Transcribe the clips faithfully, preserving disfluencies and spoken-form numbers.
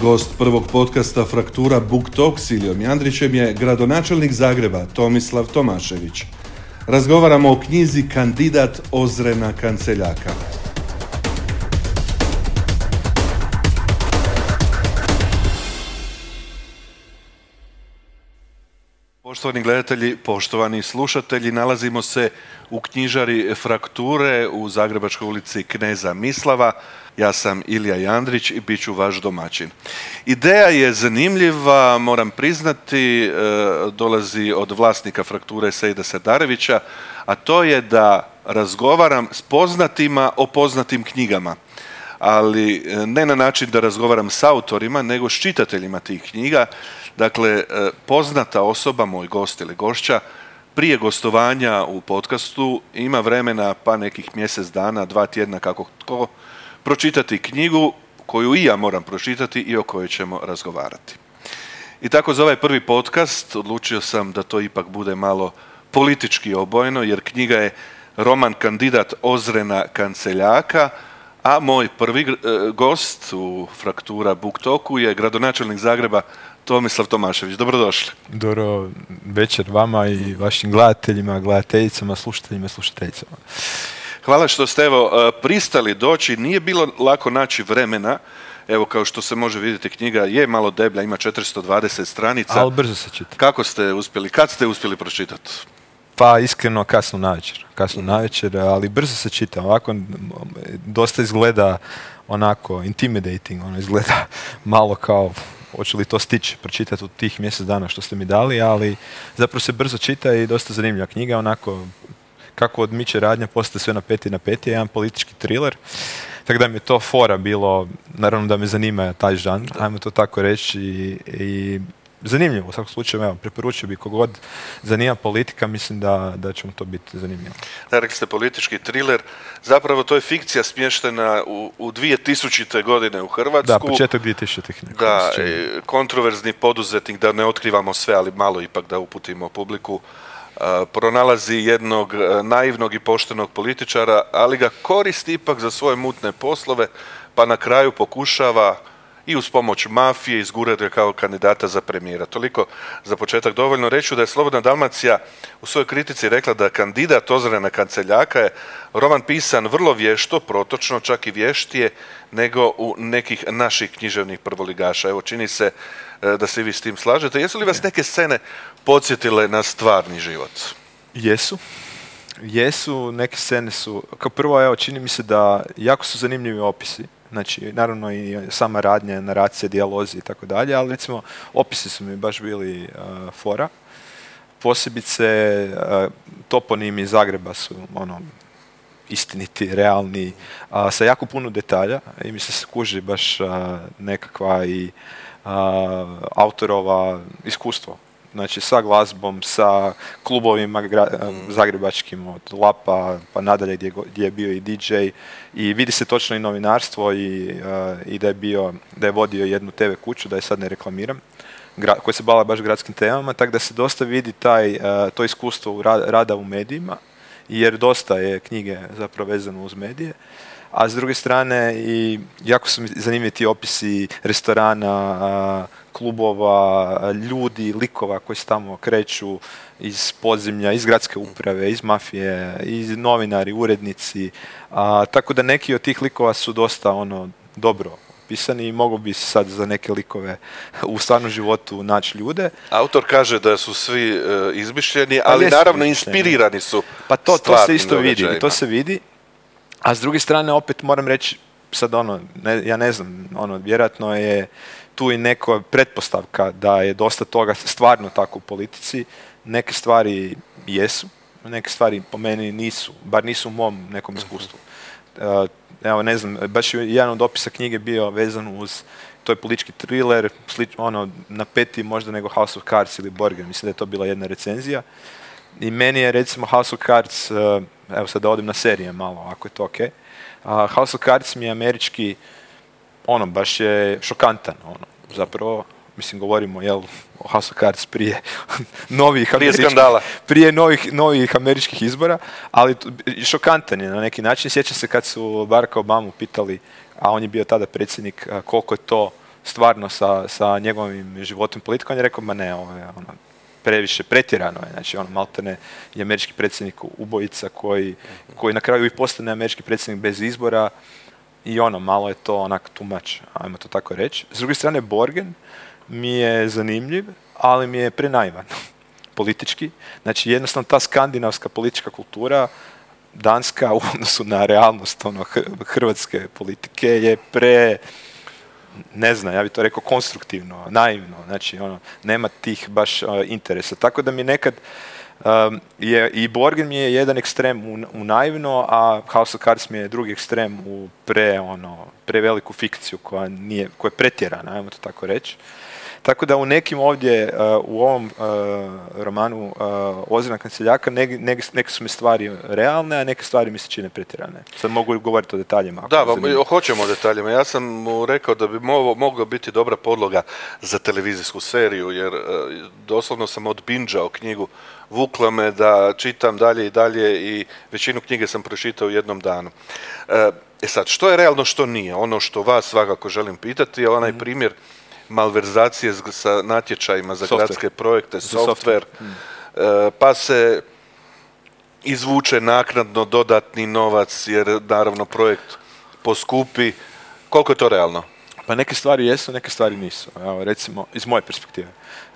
Gost prvog podcasta Fraktura Book Talk s Ilijom Jandrićem je gradonačelnik Zagreba Tomislav Tomašević. Razgovaramo o knjizi Kandidat Ozrena Kanceljaka. Poštovani gledatelji, poštovani slušatelji, nalazimo se u knjižari Frakture u Zagrebačkoj ulici Kneza Mislava. Ja sam Ilija Jandrić i bit ću vaš domaćin. Ideja je zanimljiva, moram priznati, dolazi od vlasnika Frakture Sejda Serdarevića, a to je da razgovaram s poznatima o poznatim knjigama. Ali ne na način da razgovaram s autorima, nego s čitateljima tih knjiga. Dakle, poznata osoba, moj gost ili gošća, prije gostovanja u podcastu ima vremena pa nekih mjesec dana, dva tjedna, kako tko, pročitati knjigu koju i ja moram pročitati i o kojoj ćemo razgovarati. I tako za ovaj prvi podcast odlučio sam da to ipak bude malo politički obojeno, jer knjiga je roman Kandidat Ozrena Kanceljaka, a moj prvi gost u Fraktura Book Talku je gradonačelnik Zagreba Tomislav Tomašević. Dobrodošli. Dobro večer vama i vašim gledateljima, gledateljicama, slušateljima i slušateljicama. Hvala što ste evo pristali doći. Nije bilo lako naći vremena. Evo, kao što se može vidjeti, knjiga je malo deblja, ima četiristo dvadeset stranica. Ali brzo se čita. Kako ste uspjeli, kad ste uspjeli pročitati? Pa iskreno kasno navečer, kasno navečer, ali brzo se čita. Ovako dosta izgleda onako intimidating, ono izgleda malo kao hoće li to stići pročitati u tih mjesec dana što ste mi dali, ali zapravo se brzo čita i dosta zanimljiva knjiga, onako kako odmiče radnja, postaje sve na peti na peti, je jedan politički thriller. Tako da mi je to fora bilo, naravno da me zanima taj žanr, ajmo to tako reći, i, i zanimljivo u svakom slučaju, evo, preporučio bi kogod zanima politika, mislim da, da će mu to biti zanimljivo. Da, rekli ste politički thriller, zapravo to je fikcija smještena u, u dvije tisućite godine u Hrvatsku. Da, početak dvije tisućite. Da, kontroverzni poduzetnik, da ne otkrivamo sve, ali malo ipak da uputimo publiku, uh, pronalazi jednog uh, naivnog i poštenog političara, ali ga koristi ipak za svoje mutne poslove, pa na kraju pokušava i uz pomoć mafije izgurati kao kandidata za premijera. Toliko za početak dovoljno. Reću da je Slobodna Dalmacija u svojoj kritici rekla da Kandidat Ozrena Kanceljaka je roman pisan vrlo vješto, protočno, čak i vještije nego u nekih naših književnih prvoligaša. Evo, čini se da se vi s tim slažete. Jesu li vas neke scene podsjetile na stvarni život? Jesu. Jesu, neke scene su, kao prvo, evo, čini mi se da jako su zanimljivi opisi. Znači, naravno i sama radnja, naracija, dijalozi i tako dalje, ali recimo opisi su mi baš bili uh, fora. Posebice uh, toponimi Zagreba su ono istiniti, realni, uh, sa jako puno detalja i mi se kuži baš uh, nekakva i uh, autorova iskustvo. Znači sa glazbom, sa klubovima gra- zagrebačkim od Lapa pa nadalje gdje, gdje je bio i D J i vidi se točno i novinarstvo i, uh, i da je bio, da je vodio jednu te ve kuću, da je sad ne reklamiram, gra- koja se bavila baš gradskim temama, tako da se dosta vidi taj, uh, to iskustvo u ra- rada u medijima, jer dosta je knjige zapravo vezano uz medije. A s druge strane i jako su mi zanimljivi ti opisi restorana, klubova, ljudi, likova koji se tamo kreću iz podzemlja, iz gradske uprave, iz mafije, iz novinari, urednici. A, tako da neki od tih likova su dosta ono dobro pisani i mogu bi sad za neke likove u stvarnom životu naći ljude. Autor kaže da su svi uh, izmišljeni, ali pa naravno inspirirani su. Pa to, to se isto vidi, to se vidi. A s druge strane, opet moram reći, sad ono, ne, ja ne znam, ono, vjerojatno je tu i neka pretpostavka da je dosta toga stvarno tako u politici. Neke stvari jesu, neke stvari po meni nisu, bar nisu u mom nekom iskustvu. Uh, evo, ne znam, baš je jedan od opisa knjige bio vezan uz, to je politički thriller, slič, ono, napeti možda nego House of Cards ili Borgen, mislim da je to bila jedna recenzija. I meni je recimo House of Cards, uh, evo sad da odim na serije malo, ako je to ok. Uh, House of Cards mi je američki, ono, baš je šokantan, ono, zapravo, mislim, govorimo, jel, o House of Cards prije novih američkih, prije novih, novih američkih izbora, ali šokantan je na neki način. Sjećam se kad su Baracka Obamu pitali, a on je bio tada predsjednik, koliko je to stvarno sa, sa njegovim životom politikom, on je rekao, ma ne, ovo je ono, previše, pretjerano je, znači ono, maltene je američki predsjednik ubojica koji, koji na kraju i postane američki predsjednik bez izbora i ono, malo je to onak too much, ajmo to tako reći. S druge strane, Borgen mi je zanimljiv, ali mi je prenaivan politički. Znači, jednostavno ta skandinavska politička kultura, danska u odnosu na realnost ono, hrvatske politike je pre, ne znam, ja bih to rekao konstruktivno, naivno, znači ono, nema tih baš uh, interesa. Tako da mi nekad um, je, i Borgen mi je jedan ekstrem u, u naivno, a House of Cards mi je drugi ekstrem u pre, ono, preveliku fikciju koja, nije, koja je pretjerana, ajmo to tako reći. Tako da u nekim ovdje, uh, u ovom uh, romanu uh, Ozirna kanceljaka, neke, neke, neke su mi stvari realne, a neke stvari mi se čine pretjerane. Sad mogu govoriti o detaljima. Da, ba, hoćemo o detaljima. Ja sam mu rekao da bi mo- moglo biti dobra podloga za televizijsku seriju, jer uh, doslovno sam od binđao knjigu, vukla me da čitam dalje i dalje i većinu knjige sam pročitao u jednom danu. Uh, e sad, što je realno, što nije? Ono što vas svakako želim pitati je onaj mm. primjer malverzacije sa natječajima za software. Gradske projekte, software, hmm. pa se izvuče naknadno dodatni novac jer naravno projekt poskupi. Koliko je to realno? Pa neke stvari jesu, neke stvari nisu. Evo, recimo, iz moje perspektive.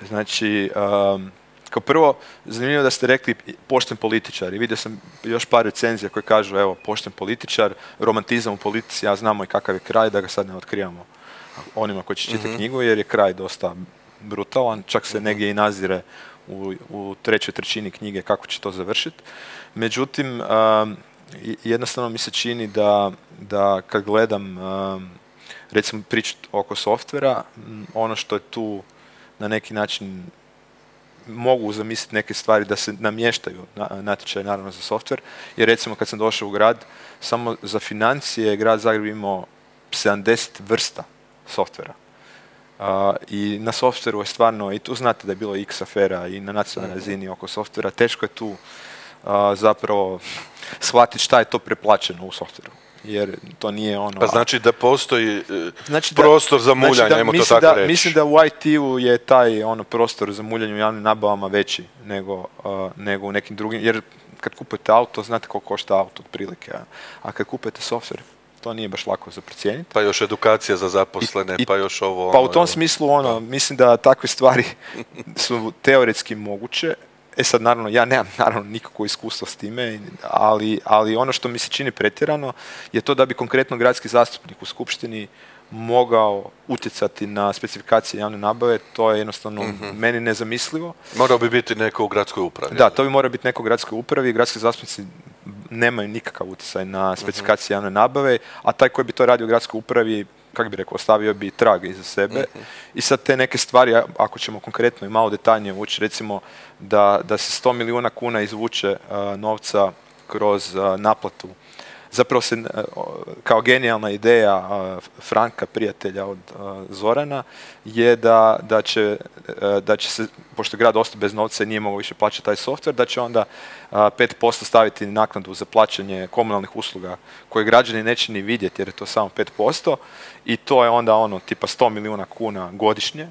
Znači, um, kao prvo, zanimljivo da ste rekli pošten političar i vidio sam još par recenzija koje kažu, evo, pošten političar, romantizam u politici, ja znamo i kakav je kraj, da ga sad ne otkrivamo onima koji će čitati mm-hmm. knjigu, jer je kraj dosta brutalan, čak se mm-hmm. negdje i nazire u, u trećoj trećini knjige kako će to završiti. Međutim, um, jednostavno mi se čini da, da kad gledam um, recimo priču oko softvera, ono što je tu na neki način mogu zamisliti neke stvari da se namještaju na, natječaj naravno za softver, jer recimo kad sam došao u grad, samo za financije grad Zagreb imao sedamdeset vrsta softvera. Uh, I na softveru je stvarno, i tu znate da je bilo x afera i na nacionalnoj razini oko softvera, teško je tu uh, zapravo shvatiti šta je to preplaćeno u softveru. Jer to nije ono... Pa znači da postoji znači prostor da, za muljanje, znači ajmo to tako da, reći. Mislim da u I T-u je taj ono prostor za muljanje u javnim nabavama veći nego, uh, nego u nekim drugim, jer kad kupujete auto, znate koliko košta auto otprilike, a, a kad kupujete softver, to nije baš lako za procijeniti. Pa još edukacija za zaposlene, I, pa još ovo... Pa ono, u tom smislu, ono, da. mislim da takve stvari su teoretski moguće. E sad, naravno, ja nemam naravno nikakvo iskustvo s time, ali, ali ono što mi se čini pretjerano je to da bi konkretno gradski zastupnik u skupštini mogao utjecati na specifikacije javne nabave, to je jednostavno mm-hmm. meni nezamislivo. Morao bi biti neko u gradskoj upravi. Da, to bi morao biti neko u gradskoj upravi, gradski zastupnici nemaju nikakav utjecaj na specifikacije javne nabave, a taj koji bi to radio u gradskoj upravi, kako bi rekao, ostavio bi trag iza sebe. Mm-hmm. I sad te neke stvari, ako ćemo konkretno i malo detaljnije ući, recimo da, da se sto milijuna kuna izvuče uh, novca kroz uh, naplatu. Zapravo se uh, kao genijalna ideja uh, Franka, prijatelja od uh, Zorana, je da, da, će, uh, da će se, pošto grad ostao bez novca i nije mogao više plaćati taj softver, da će onda uh, pet posto staviti naknadu za plaćanje komunalnih usluga koje građani neće ni vidjeti jer je to samo pet posto i to je onda ono tipa sto milijuna kuna godišnje.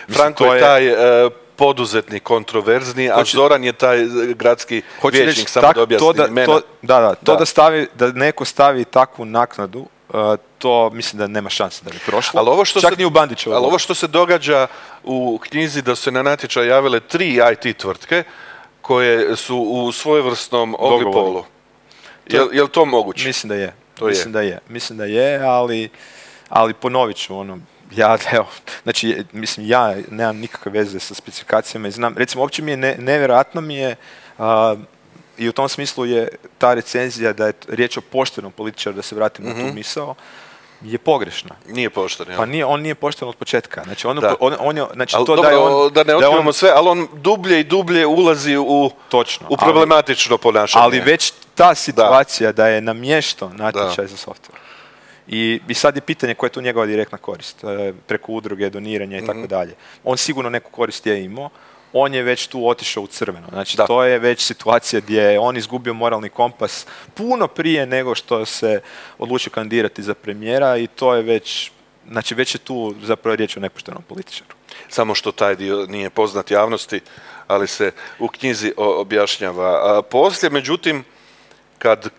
Franko je taj uh, poduzetnik kontroverzni, a Hoće, Zoran je taj gradski vijećnik, samo da objasni imena. To, da, da, to da. Da, stavi, da neko stavi takvu naknadu, uh, to mislim da nema šanse da bi prošlo. Ali ovo što Čak se, ni u Bandićevu. Ali ovo što se događa u knjizi da su se na natječaj javile tri I T tvrtke koje su u svojevrsnom oligopolu. Je li je to moguće? Mislim da je. To mislim je. da je. Mislim da je, ali, ali ponovit ću ono, ja, evo, znači, mislim, ja nemam nikakve veze sa specifikacijama i znam, recimo, uopće mi je ne, nevjerojatno mi je uh, i u tom smislu je ta recenzija da je riječ o poštenom političaru, da se vratim mm-hmm. na tu misao, je pogrešna. Nije pošten, ja. Pa nije, on nije pošten od početka. Znači, on, on, on je, znači, al, to dobro, da je on... Da ne otkrivamo sve, ali on dublje i dublje ulazi u, Točno, u problematično ali, ponašanje. Ali već ta situacija da, da je namješto natječaj da. za software. I, I sad je pitanje koja je tu njegova direktna korist, preko udruge, doniranja i mm-hmm. tako dalje. On sigurno neku korist je imao, on je već tu otišao u crveno. Znači, da. to je već situacija gdje je on izgubio moralni kompas puno prije nego što se odlučio kandidirati za premijera i to je već znači već je tu zapravo riječ o nepoštenom političaru. Samo što taj dio nije poznat javnosti, ali se u knjizi objašnjava. A poslije, međutim, kad,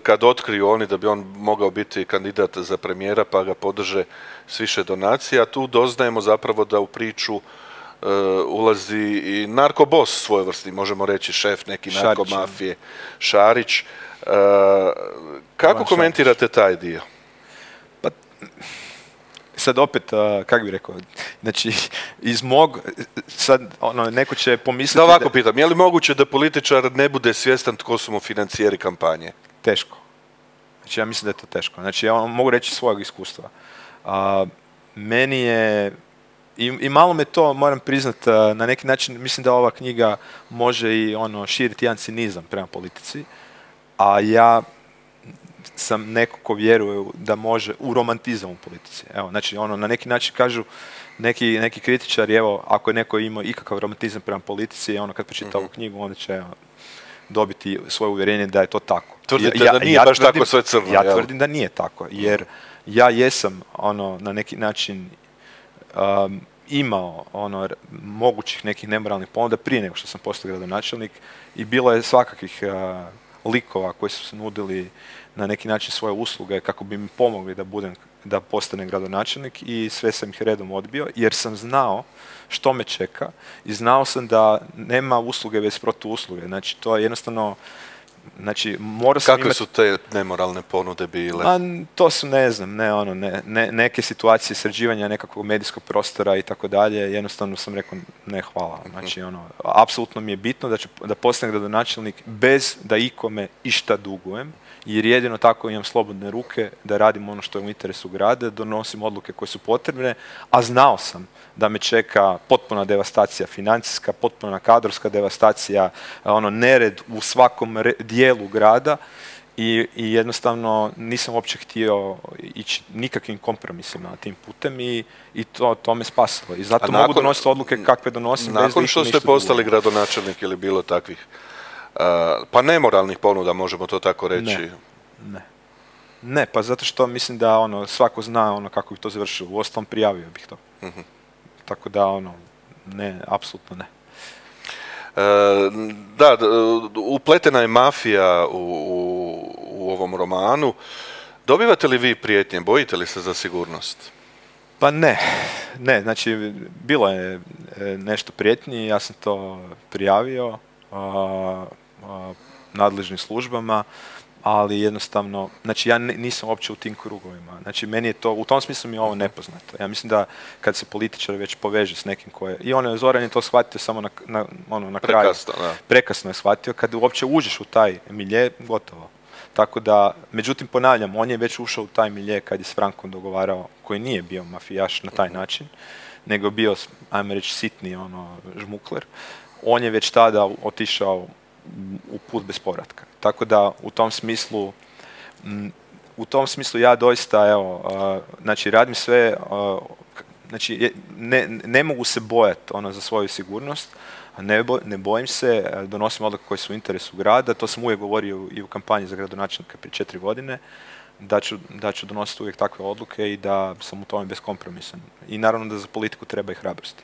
kad otkriju oni da bi on mogao biti kandidat za premijera pa ga podrže s više donacija, tu doznajemo zapravo da u priču uh, ulazi i narkobos svojevrsni, možemo reći šef neki narkomafije, Šarić. Uh, kako Ivan komentirate Šarić. taj dio? Pa, sad opet, uh, kako bih rekao, znači iz mog, sad ono, neko će pomisliti... Da ovako pitam, je li moguće da političar ne bude svjestan tko su mu financijeri kampanje? Teško. Znači ja mislim da je to teško. Znači ja mogu reći svojeg iskustva. Uh, meni je, i, i malo me to, moram priznat, uh, na neki način, mislim da ova knjiga može i ono širiti jedan cinizam prema politici, a ja sam neko ko vjeruje da može u romantizam u politici. Evo, znači ono, na neki način kažu neki, neki kritičari, evo, ako je neko imao ikakav romantizam prema politici, ono, kad pročita mm-hmm. ovu knjigu, onda će evo, dobiti svoje uvjerenje da je to tako. Tvrdite ja, da nije ja baš tvrdim, tako sve crno, Ja jel? tvrdim da nije tako, jer ja jesam, ono, na neki način um, imao, ono, mogućih nekih nemoralnih ponuda prije nego što sam postao gradonačelnik i bilo je svakakvih uh, likova koji su se nudili na neki način svoje usluge kako bi mi pomogli da budem, da postanem gradonačelnik i sve sam ih redom odbio jer sam znao što me čeka i znao sam da nema usluge bez protuusluge. Znači to je jednostavno, znači morao sam Kakve imati... su te nemoralne ponude bile? A, to su, ne znam, ne, ono, ne, ne, neke situacije sređivanja nekakvog medijskog prostora i tako dalje, jednostavno sam rekao ne hvala. Znači, ono, apsolutno mi je bitno da, ću, da postanem gradonačelnik bez da ikome išta dugujem, jer jedino tako imam slobodne ruke da radim ono što je u interesu grada, donosim odluke koje su potrebne, a znao sam da me čeka potpuna devastacija financijska, potpuna kadrovska devastacija, ono, nered u svakom re, dijelu grada i, i jednostavno nisam uopće htio ići nikakvim kompromisima tim putem i, i to, to me spasilo. I zato nakon, mogu donositi odluke kakve donosim. Nakon bez što ste postali dugo. Gradonačelnik ili bilo takvih uh, pa nemoralnih ponuda, možemo to tako reći? Ne, ne. Ne, pa zato što mislim da ono, svako zna ono kako bi to završilo. Uostalom prijavio bih to. Uh-huh. Tako da, ono, ne, apsolutno ne. E, da, upletena je mafija u, u, u ovom romanu. Dobivate li vi prijetnje? Bojite li se za sigurnost? Pa ne, ne, znači bilo je nešto prijetnji, ja sam to prijavio a, a, nadležnim službama, ali jednostavno, znači ja nisam uopće u tim krugovima. Znači meni je to, u tom smislu mi je ovo nepoznato. Ja mislim da kad se političar već poveže s nekim koje, i ono je Zoran je to shvatio samo na, na, ono, na kraju. Prekasno, da. Prekasno je shvatio, kad uopće uđeš u taj milje, gotovo. Tako da, međutim ponavljam, on je već ušao u taj milje kad je s Frankom dogovarao, koji nije bio mafijaš na taj način, nego bio, ajmo reći, sitni ono, žmukler. On je već tada otišao u put bez povratka. Tako da u tom smislu m, u tom smislu ja doista evo uh, znači radim sve uh, znači ne, ne mogu se bojati ono za svoju sigurnost, ne, bo, ne bojim se, donosim odluke koje su u interesu grada, to sam uvijek govorio i u kampanji za gradonačelnika prije četiri godine, da ću, da ću donositi uvijek takve odluke i da sam u tome beskompromisan. I naravno da za politiku treba i hrabrosti.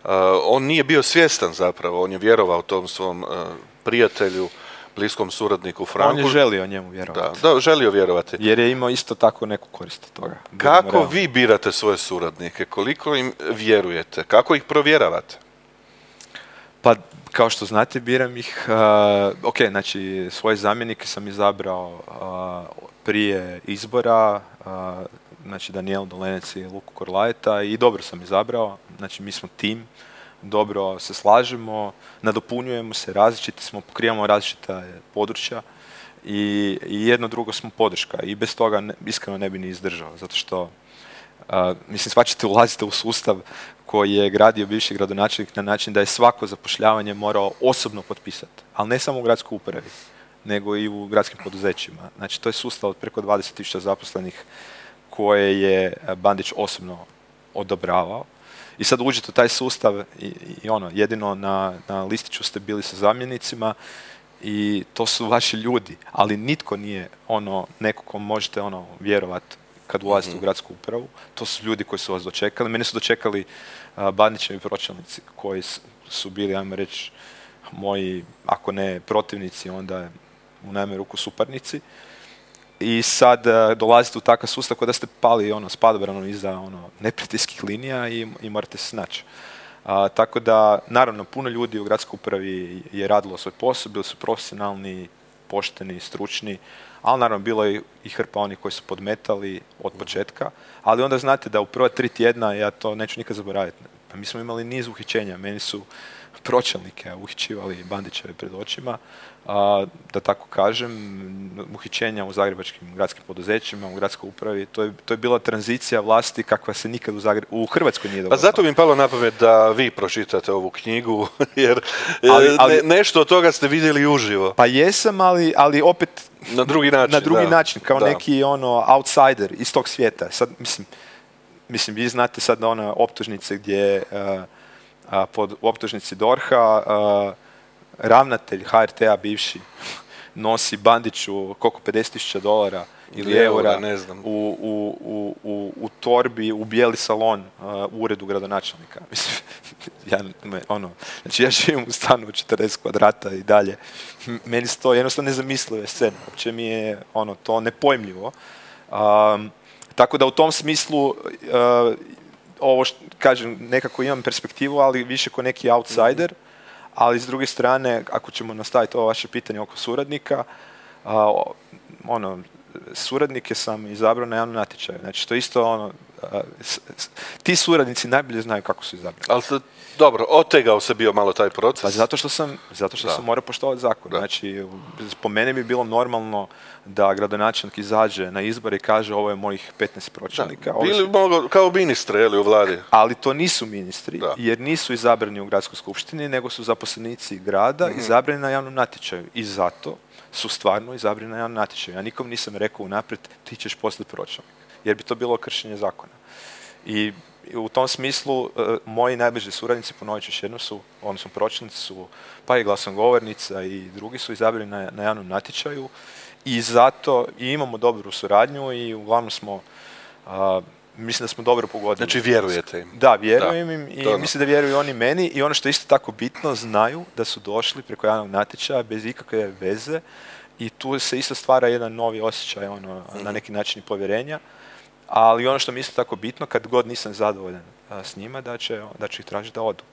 Uh, on nije bio svjestan zapravo, on je vjerovao tom svom uh, prijatelju, bliskom suradniku Franku. On je želio njemu vjerovati. Da, da, želio vjerovati. Jer je imao isto tako neku korist od toga. Kako vi birate svoje suradnike? Koliko im vjerujete? Kako ih provjeravate? Pa, kao što znate, biram ih. Uh, ok, znači, svoje zamjenike sam izabrao uh, prije izbora, uh, znači Danijel Dolenec i Luku Korlajeta i dobro sam izabrao. Znači, mi smo tim. Dobro se slažemo, nadopunjujemo se, različiti smo, pokrivamo različita područja i, i jedno drugo smo podrška i bez toga ne, iskreno ne bi ni izdržao, zato što uh, mislim shvaćate, ulazite u sustav koji je gradio bivši gradonačelnik na način da je svako zapošljavanje morao osobno potpisati, ali ne samo u gradskoj upravi, nego i u gradskim poduzećima. Znači to je sustav od preko dvadeset tisuća zaposlenih koje je Bandić osobno odobravao. I sad uđete u taj sustav i, i ono, jedino na, na listiću ste bili sa zamjenicima i to su vaši ljudi, ali nitko nije ono, neko ko možete ono, vjerovati kad ulazite Mhm. u gradsku upravu. To su ljudi koji su vas dočekali. Mene su dočekali a, Bandićevi pročelnici koji s- su bili, ajmo reći, moji, ako ne protivnici, onda u najmanju ruku suparnici. I sad a, dolazite u takav sustav kao da ste pali ono, s padobranom iza ono, neprijateljskih linija i, i morate se snaći. A, tako da, naravno, puno ljudi u gradskoj upravi je radilo svoj posao, bili su profesionalni, pošteni, stručni, ali naravno bilo je i hrpa onih koji su podmetali od početka, ali onda znate da u prva tri tjedna, ja to neću nikad zaboraviti, pa mi smo imali niz uhićenja, meni su pročelnike uhićivali Bandićeve pred očima, a, da tako kažem, uhićenja u zagrebačkim gradskim poduzećima, u gradskoj upravi, to je, to je bila tranzicija vlasti kakva se nikad u, Zagre- u Hrvatskoj nije Pa dogodila. zato bi mi palo na pamet da vi pročitate ovu knjigu, jer Ali- e, ali- ne- nešto od toga ste vidjeli uživo. Pa jesam, ali, ali opet Na drugi način. na drugi da. način, kao Da. neki ono outsider iz tog svijeta. Sad, mislim, mislim, vi znate sad da one optužnice gdje uh, a, pod optužnici DORH-a uh, ravnatelj H R T-a bivši nosi Bandiću koliko pedeset tisuća dolara ili Eura, eura ne znam. u, u, u, u, u torbi u bijeli salon uh, u uredu gradonačelnika. Mislim, ja, me, ono, znači ja živim u stanu od četrdeset kvadrata i dalje. M- Meni su to jednostavno nezamislive scene. Uopće mi je ono, to nepojmljivo. Um, tako da u tom smislu uh, ovo što kažem, nekako imam perspektivu, ali više ko neki outsider, ali s druge strane, ako ćemo nastaviti ovo vaše pitanje oko suradnika, a, ono, suradnike sam izabrao na javnom natječaju. Znači, to isto ono, a, s- s- ti suradnici najbolje znaju kako su izabrani. Ali ste, dobro, otegao se bio malo taj proces. Pa zato što sam, zato što Da. sam morao poštovati zakon. Da. Znači, po meni bi bilo normalno da gradonačelnik izađe na izbore i kaže ovo je mojih petnaest pročelnika. Ovo su- Bili mogo, kao ministre, je li, u vladi? Ali to nisu ministri, Da. jer nisu izabrani u gradskoj skupštini, nego su zaposlenici grada Mhm. izabrani na javnom natječaju. I zato su stvarno izabrani na javnom natječaju. Ja nikom nisam rekao unaprijed ti ćeš postati pročelnik, jer bi to bilo kršenje zakona. I i u tom smislu e, moji najbliži suradnici, ponovit ću još jednom, su, odnosno pročelnici su, pa i glasnogovornica i drugi su izabrani na, na javnom natječaju i zato i imamo dobru suradnju i uglavnom smo, a, mislim da smo dobro pogodili. Znači, vjerujete im. Da, vjerujem im i to ono. mislim da vjeruju oni meni i ono što je isto tako bitno, znaju da su došli preko javnog natječaja bez ikakve veze i tu se isto stvara jedan novi osjećaj ono, na neki način i povjerenja, ali ono što mi je isto tako bitno, kad god nisam zadovoljan a, s njima, da će, da ću ih tražiti da odu.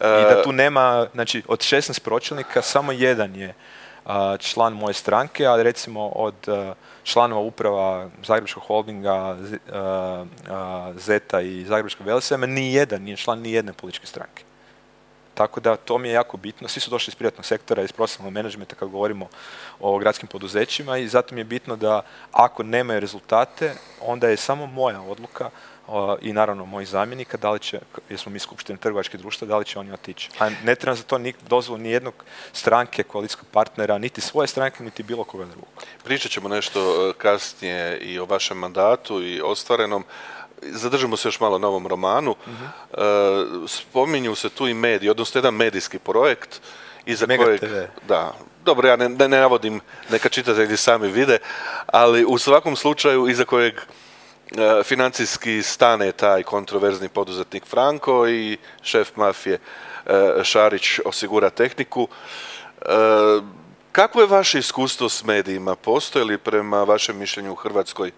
I da tu nema, znači od šesnaest pročelnika samo jedan je a, član moje stranke, a recimo od a, članova uprava Zagrebačkog holdinga, Z- a, a, Zeta i Zagrebačkog Velesajma, ni jedan nije član ni jedne političke stranke. Tako da to mi je jako bitno. Svi su došli iz privatnog sektora, iz profesionalnog menadžmenta kad govorimo o gradskim poduzećima i zato mi je bitno da ako nemaju rezultate, onda je samo moja odluka o, i naravno mojih zamjenika, da li će, jer smo mi skupštine trgovačkih društva, da li će oni otići. A ne trebam za to ni dozvolu ni jednog stranke, koalicijskog partnera, niti svoje stranke, niti bilo koga drugog. Pričat ćemo nešto e, kasnije i o vašem mandatu i ostvarenom. Zadržimo se još malo na ovom romanu. E, spominju se tu i mediji, odnosno jedan medijski projekt iza Mega kojeg... te ve. Da, dobro, ja ne, ne, ne navodim, neka čitatelji sami vide, ali u svakom slučaju iza kojeg e, financijski stane taj kontroverzni poduzetnik Franko i šef mafije e, Šarić osigura tehniku. E, Kako je vaše iskustvo s medijima? Postoje li prema vašem mišljenju u Hrvatskoj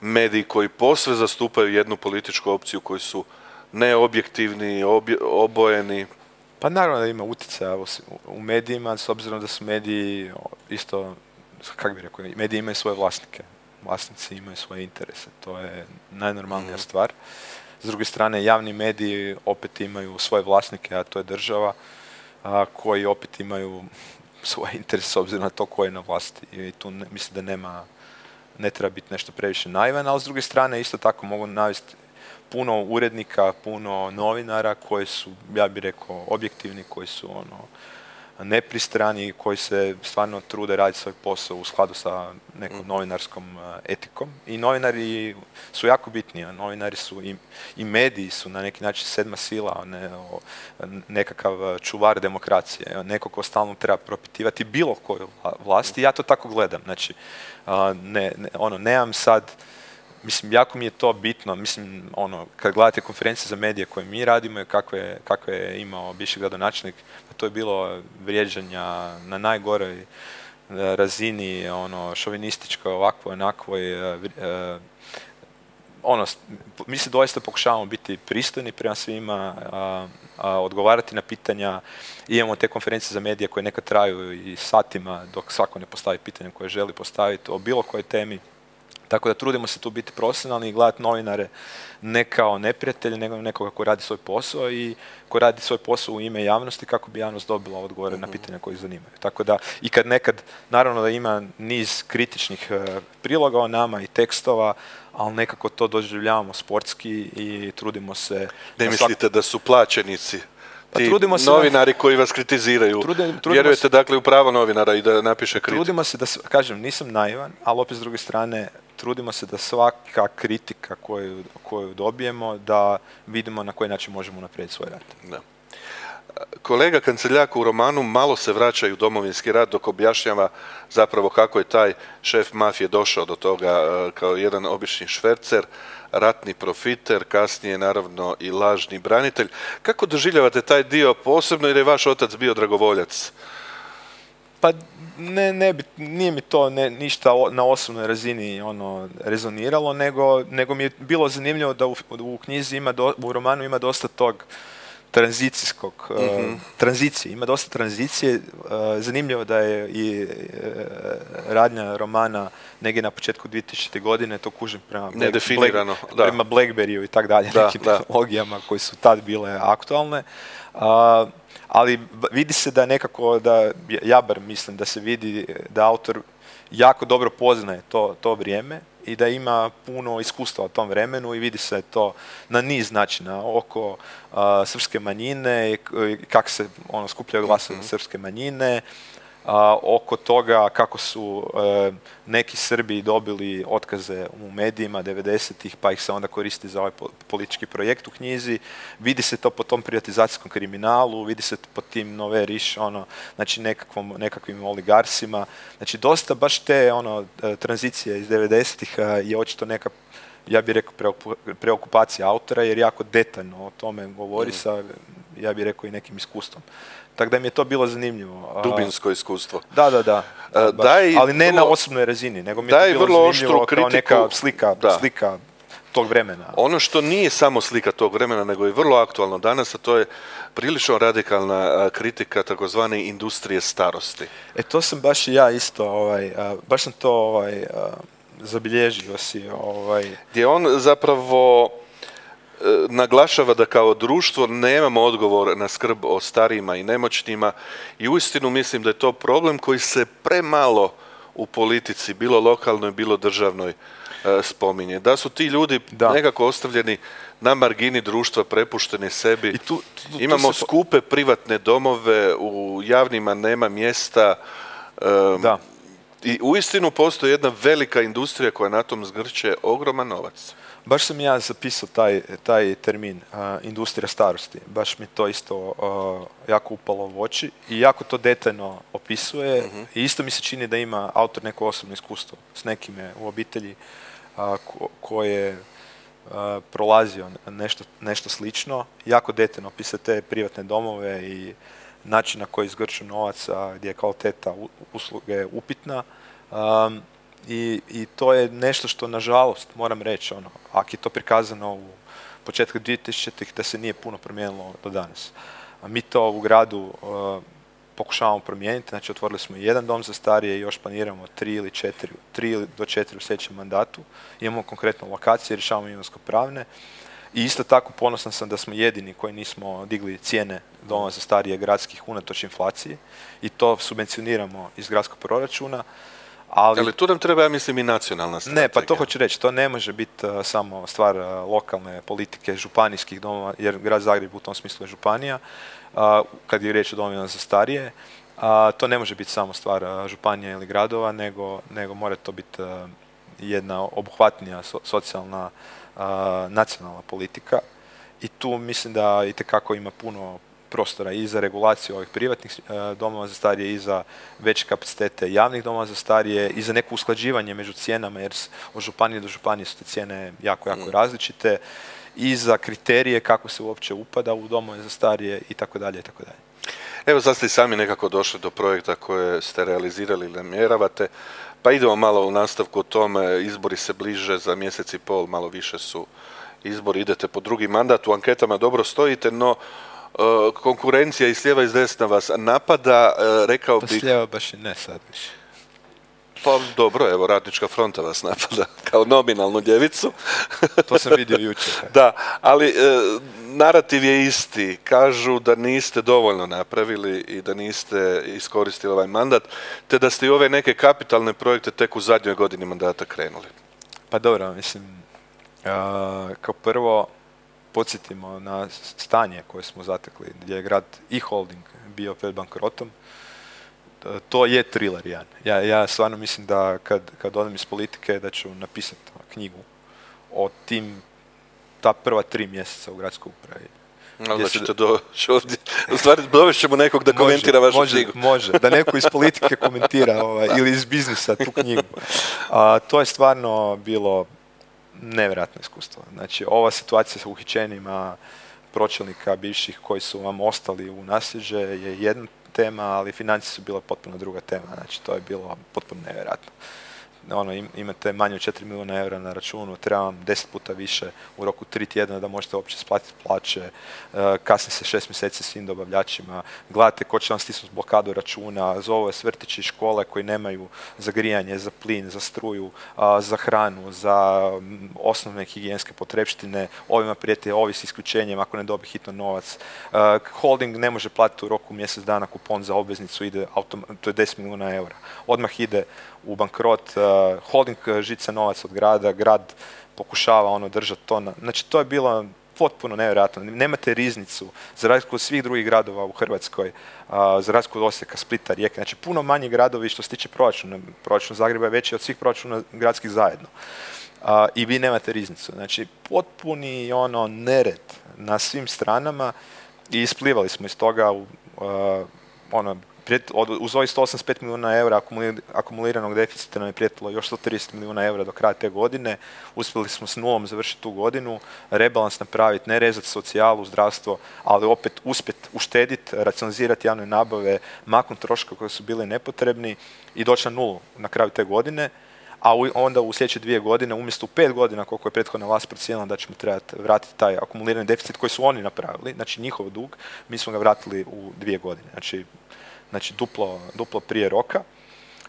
mediji koji posve zastupaju jednu političku opciju, koji su neobjektivni, obje- obojeni? Pa naravno da ima utjecaja u, u medijima, s obzirom da su mediji isto, kako bih rekao, mediji imaju svoje vlasnike. Vlasnici imaju svoje interese, to je najnormalnija Mhm. stvar. S druge strane, javni mediji opet imaju svoje vlasnike, a to je država, a, koji opet imaju svoje interese s obzirom na to ko je na vlasti. I tu ne, mislim da nema, ne treba biti nešto previše naivan, ali s druge strane isto tako mogu navesti puno urednika, puno novinara koji su, ja bih rekao, objektivni, koji su ono, nepristrani, koji se stvarno trude raditi svoj posao u skladu sa nekom novinarskom uh, etikom. I novinari su jako bitni, a novinari su i, i mediji su na neki način sedma sila, ne, o, nekakav čuvar demokracije, neko ko stalno treba propitivati bilo koju vla- vlast i ja to tako gledam. Znači, uh, ne, ne, ono, nemam sad mislim, jako mi je to bitno, mislim, ono, kad gledate konferencije za medije koje mi radimo i kakve, kakve je imao bivši gradonačelnik, to je bilo vrijeđanja na najgoroj razini, ono, šovinističkoj, ovakvoj, onakvoj, uh, uh, ono, mi se doista pokušavamo biti pristojni prema svima, a, a, odgovarati na pitanja. Imamo te konferencije za medije koje nekad traju i satima dok svako ne postavi pitanje koje želi postaviti o bilo kojoj temi. Tako da trudimo se tu biti profesionalni i gledati novinare ne kao neprijatelje, nego nekoga ko radi svoj posao i ko radi svoj posao u ime javnosti kako bi javnost dobila odgovore uh-huh. na pitanja koje ih zanimaju. Tako da, i kad nekad, naravno da ima niz kritičnih uh, priloga o nama i tekstova, ali nekako to doživljavamo sportski i trudimo se... Ne mislite svak... da su plaćenici ti pa novinari na... koji vas kritiziraju? Trudim, Vjerujete se... dakle u pravo novinara i da napiše kritiku? Trudimo se da, kažem, nisam naivan, ali opet s druge strane, trudimo se da svaka kritika koju, koju dobijemo, da vidimo na koji način možemo napraviti svoj rad. Da. Kolega Kanceljak u romanu malo se vraća u Domovinski rat dok objašnjava zapravo kako je taj šef mafije došao do toga kao jedan obični švercer, ratni profiter, kasnije naravno i lažni branitelj. Kako doživljavate taj dio posebno jer je vaš otac bio dragovoljac? Pa ne, ne bi, nije mi to ne, ništa o, na osobnoj razini ono rezoniralo, nego, nego mi je bilo zanimljivo da u, u knjizi ima, do, u romanu ima dosta tog tranzicijskog, mm-hmm. uh, tranzicije, ima dosta tranzicije. Uh, zanimljivo da je i uh, radnja romana negdje na početku dvije tisućite. godine, to kužim prema, Nedefinirano, Black, da. prema Blackberryu i tak dalje, nekim tehnologijama koje su tad bile aktualne. Uh, ali vidi se da nekako, da ja bar mislim da se vidi da autor jako dobro poznaje to, to vrijeme i da ima puno iskustva u tom vremenu i vidi se to na niz načina oko uh, srpske manjine i kako se ono skupljaju glasovi mm-hmm. srpske manjine, uh, oko toga kako su uh, neki Srbi dobili otkaze u medijima devedesetih pa ih se onda koristi za ovaj politički projekt u knjizi. Vidi se to po tom privatizacijskom kriminalu, vidi se po tim nove riš, ono, znači nekakvom, nekakvim oligarsima. Znači dosta baš te ono, tranzicije iz devedesetih je očito neka, ja bih rekao, preokupacija autora jer jako detaljno o tome govori mm. sa, ja bih rekao, i nekim iskustvom. Tako da mi je to bilo zanimljivo. Dubinsko iskustvo. Da, da, da. da daj ali ne vrlo, na osobnoj razini, nego mi je to bilo zanimljivo kao neka slika, slika tog vremena. Ono što nije samo slika tog vremena, nego je vrlo aktualno danas, a to je prilično radikalna kritika takozvane industrije starosti. E to sam baš i ja isto, ovaj, baš sam to ovaj, zabilježio si. Ovaj. Gdje on zapravo naglašava da kao društvo nemamo odgovor na skrb o starijima i nemoćnima i uistinu mislim da je to problem koji se premalo u politici, bilo lokalnoj, bilo državnoj, spominje. Da su ti ljudi da. nekako ostavljeni na margini društva, prepušteni sebi. I tu, tu, tu Imamo se... skupe privatne domove, u javnima nema mjesta. Um, da. I uistinu postoji jedna velika industrija koja na tom zgrće ogroman novac. Baš sam ja zapisao taj, taj termin, uh, industrija starosti. Baš mi to isto uh, jako upalo u oči i jako to detaljno opisuje. Uh-huh. I isto mi se čini da ima autor neko osobno iskustvo s nekime u obitelji uh, ko, koje uh, prolazio nešto, nešto slično. Jako detaljno opisuje te privatne domove i način na koji zgrču novac, gdje je kvaliteta usluge upitna. Um, I, I to je nešto što, nažalost, moram reći, ono, ako je to prikazano u početku dvije tisućite. da se nije puno promijenilo do danas. A mi to u gradu uh, pokušavamo promijeniti, znači otvorili smo jedan dom za starije i još planiramo tri ili četiri, tri do četiri u sljedećem mandatu. Imamo konkretno lokacije, rješavamo imovinsko-pravne. I isto tako ponosan sam da smo jedini koji nismo digli cijene doma za starije gradskih unatoč inflaciji i to subvencioniramo iz gradskog proračuna. Ali, ali tu nam treba, ja mislim, i nacionalna strategija. Ne, pa to hoću reći, to ne može biti uh, samo stvar uh, lokalne politike, županijskih domova, jer grad Zagreb u tom smislu je županija, uh, kad je riječ o domovima za starije. Uh, to ne može biti samo stvar uh, županija ili gradova, nego, nego mora to biti uh, jedna obuhvatnija so, socijalna uh, nacionalna politika. I tu mislim da itekako ima puno prostora i za regulaciju ovih privatnih e, domova za starije i za veće kapacitete javnih domova za starije i za neko usklađivanje među cijenama jer od županije do županije su te cijene jako, jako mm. različite i za kriterije kako se uopće upada u domove za starije i tako dalje i tako dalje. Evo sad ste i sami nekako došli do projekta koje ste realizirali ili namjeravate, pa idemo malo u nastavku o tome, izbori se bliže za mjesec i pol, malo više su izbori, idete po drugi mandat, u anketama dobro stojite, no uh, konkurencija i s lijeva i s desna vas napada, uh, rekao pa bih... Pa s lijeva baš i ne sad više. Pa dobro, evo, Radnička fronta vas napada kao nominalnu ljevicu. To sam vidio jučer. Da, ali e, narativ je isti. Kažu da niste dovoljno napravili i da niste iskoristili ovaj mandat, te da ste i ove neke kapitalne projekte tek u zadnjoj godini mandata krenuli. Pa dobro, mislim, a, kao prvo podsjetimo na stanje koje smo zatekli, gdje je grad i holding bio pred bankrotom. To je thriller jedan. Ja, ja stvarno mislim da kad, kad odem iz politike da ću napisati knjigu o tim, ta prva tri mjeseca u gradskoj upravi. No, da ćete doći ovdje. U stvari dovest ćemo nekog da može, komentira vašu može, knjigu. Može, da neko iz politike komentira ovaj, ili iz biznisa tu knjigu. A, to je stvarno bilo nevjerojatno iskustvo. Znači, ova situacija sa uhićenjima pročelnika bivših koji su vam ostali u nasljeđe je jedna tema, ali financije su bila potpuno druga tema, znači to je bilo potpuno nevjerojatno. Ono, im, imate manje od četiri milijuna eura na računu, treba vam deset puta više u roku tri tjedna da možete uopće splatiti plaće, uh, kasni se šest mjeseci svim dobavljačima, gledate ko će vam stisnuti blokadu računa, zove s vrtići i škole koji nemaju za grijanje, za plin, za struju, uh, za hranu, za um, osnovne higijenske potrepštine, ovima prijeti ovi s isključenjem ako ne dobi hitno novac. Uh, holding ne može platiti u roku mjesec dana kupon za obveznicu, ide autom- to je deset milijuna eura. Odmah ide u bankrot, uh, holding žica novac od grada, grad pokušava ono držati to na... Znači to je bilo potpuno nevjerojatno. Nemate riznicu, za razliku od svih drugih gradova u Hrvatskoj, uh, za razliku od Osijeka, Splita, Rijeke, znači puno manji gradovi što se tiče proračuna. Proračun Zagreba je veći od svih proračuna gradskih zajedno. Uh, I vi nemate riznicu. Znači potpuni ono nered na svim stranama i isplivali smo iz toga u uh, ono uz ovih sto osamdeset pet milijuna eura akumuliranog deficita nam je prijetilo još sto trideset milijuna eura do kraja te godine. Uspjeli smo s nulom završiti tu godinu, rebalans napraviti, ne rezati socijalu, zdravstvo, ali opet uspjeti uštediti, racionalizirati javne nabave, maknuti troškove koji su bili nepotrebni i doći na nulu na kraju te godine. A onda u sljedeće dvije godine, umjesto u pet godina koliko je prethodna vlast procijenila da ćemo trebati vratiti taj akumulirani deficit koji su oni napravili, znači njihov dug, mi smo ga vratili u dvije godine. Znači, Znači duplo, duplo prije roka.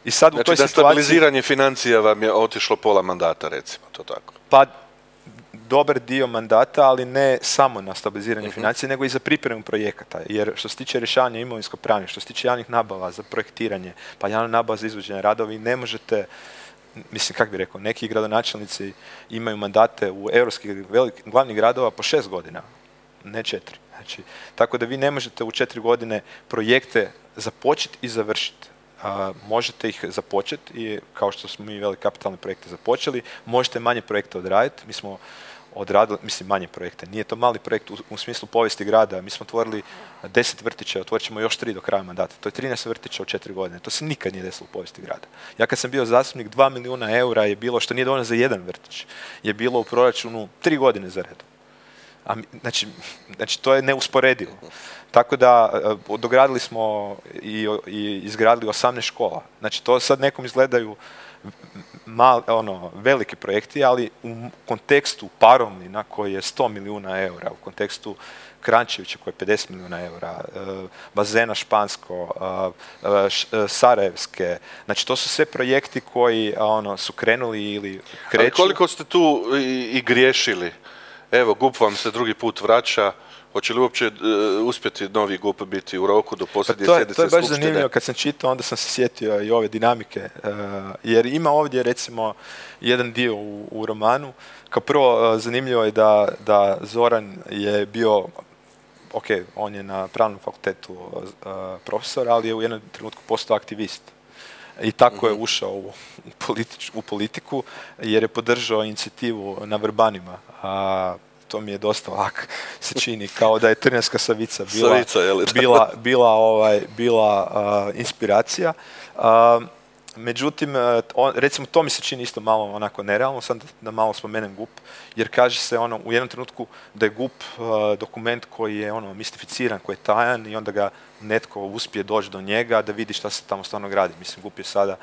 I sad znači u toj da situaciji, stabiliziranje financija vam je otišlo pola mandata, recimo, to tako? Pa dobar dio mandata, ali ne samo na stabiliziranje uh-huh. financija, nego i za pripremu projekata. Jer što se tiče rješavanja imovinsko-pravnih, što se tiče javnih nabava za projektiranje, pa javna nabava za izvođenje radova, vi ne možete, mislim, kako bi rekao, neki gradonačelnici imaju mandate u europskih velikih glavnih gradova po šest godina, ne četiri. Znači, tako da vi ne možete u četiri godine projekte započeti i završiti. A, možete ih započeti i kao što smo mi velike kapitalne projekte započeli, možete manje projekte odraditi. Mi smo odradili, mislim manje projekte, nije to mali projekt u, u smislu povijesti grada. Mi smo otvorili deset vrtića, otvorit ćemo još tri do kraja mandata. To je trinaest vrtića u četiri godine. To se nikad nije desilo u povijesti grada. Ja kad sam bio zastupnik, dva milijuna eura je bilo, što nije dovoljno za jedan vrtić, je bilo u proračunu tri godine za redom. A, znači, znači, to je neusporedivo. Tako da dogradili smo i, i izgradili osamnaest škola. Znači, to sad nekom izgledaju mal, ono, veliki projekti, ali u kontekstu Parovnina koji je sto milijuna eura, u kontekstu Krančevića koji je pedeset milijuna eura, bazena Špansko, Sarajevske, znači to su sve projekti koji ono, su krenuli ili kreću. Ali koliko ste tu i, i griješili? Evo, G U P vam se drugi put vraća. Hoće li uopće uh, uspjeti novi G U P biti u roku do posljednje pa sjednice skupštine? To je baš skupštine? zanimljivo, kad sam čitao, onda sam se sjetio i ove dinamike, uh, jer ima ovdje recimo jedan dio u, u romanu. Kao prvo, uh, zanimljivo je da, da Zoran je bio, ok, on je na pravnom fakultetu uh, profesor, ali je u jednom trenutku postao aktivist. I tako mm-hmm. je ušao u, politič, u politiku, jer je podržao inicijativu na Vrbanima. A, to mi je dosta ovak se čini kao da je Trnjanska Savica bila, Savica, je li? bila, bila, ovaj, bila uh, inspiracija. Uh, međutim, on, recimo to mi se čini isto malo onako nerealno, sad da malo spomenem G U P, jer kaže se ono u jednom trenutku da je G U P uh, dokument koji je ono mistificiran, koji je tajan i onda ga netko uspije doći do njega da vidi šta se tamo stvarno gradi. Mislim, G U P je sada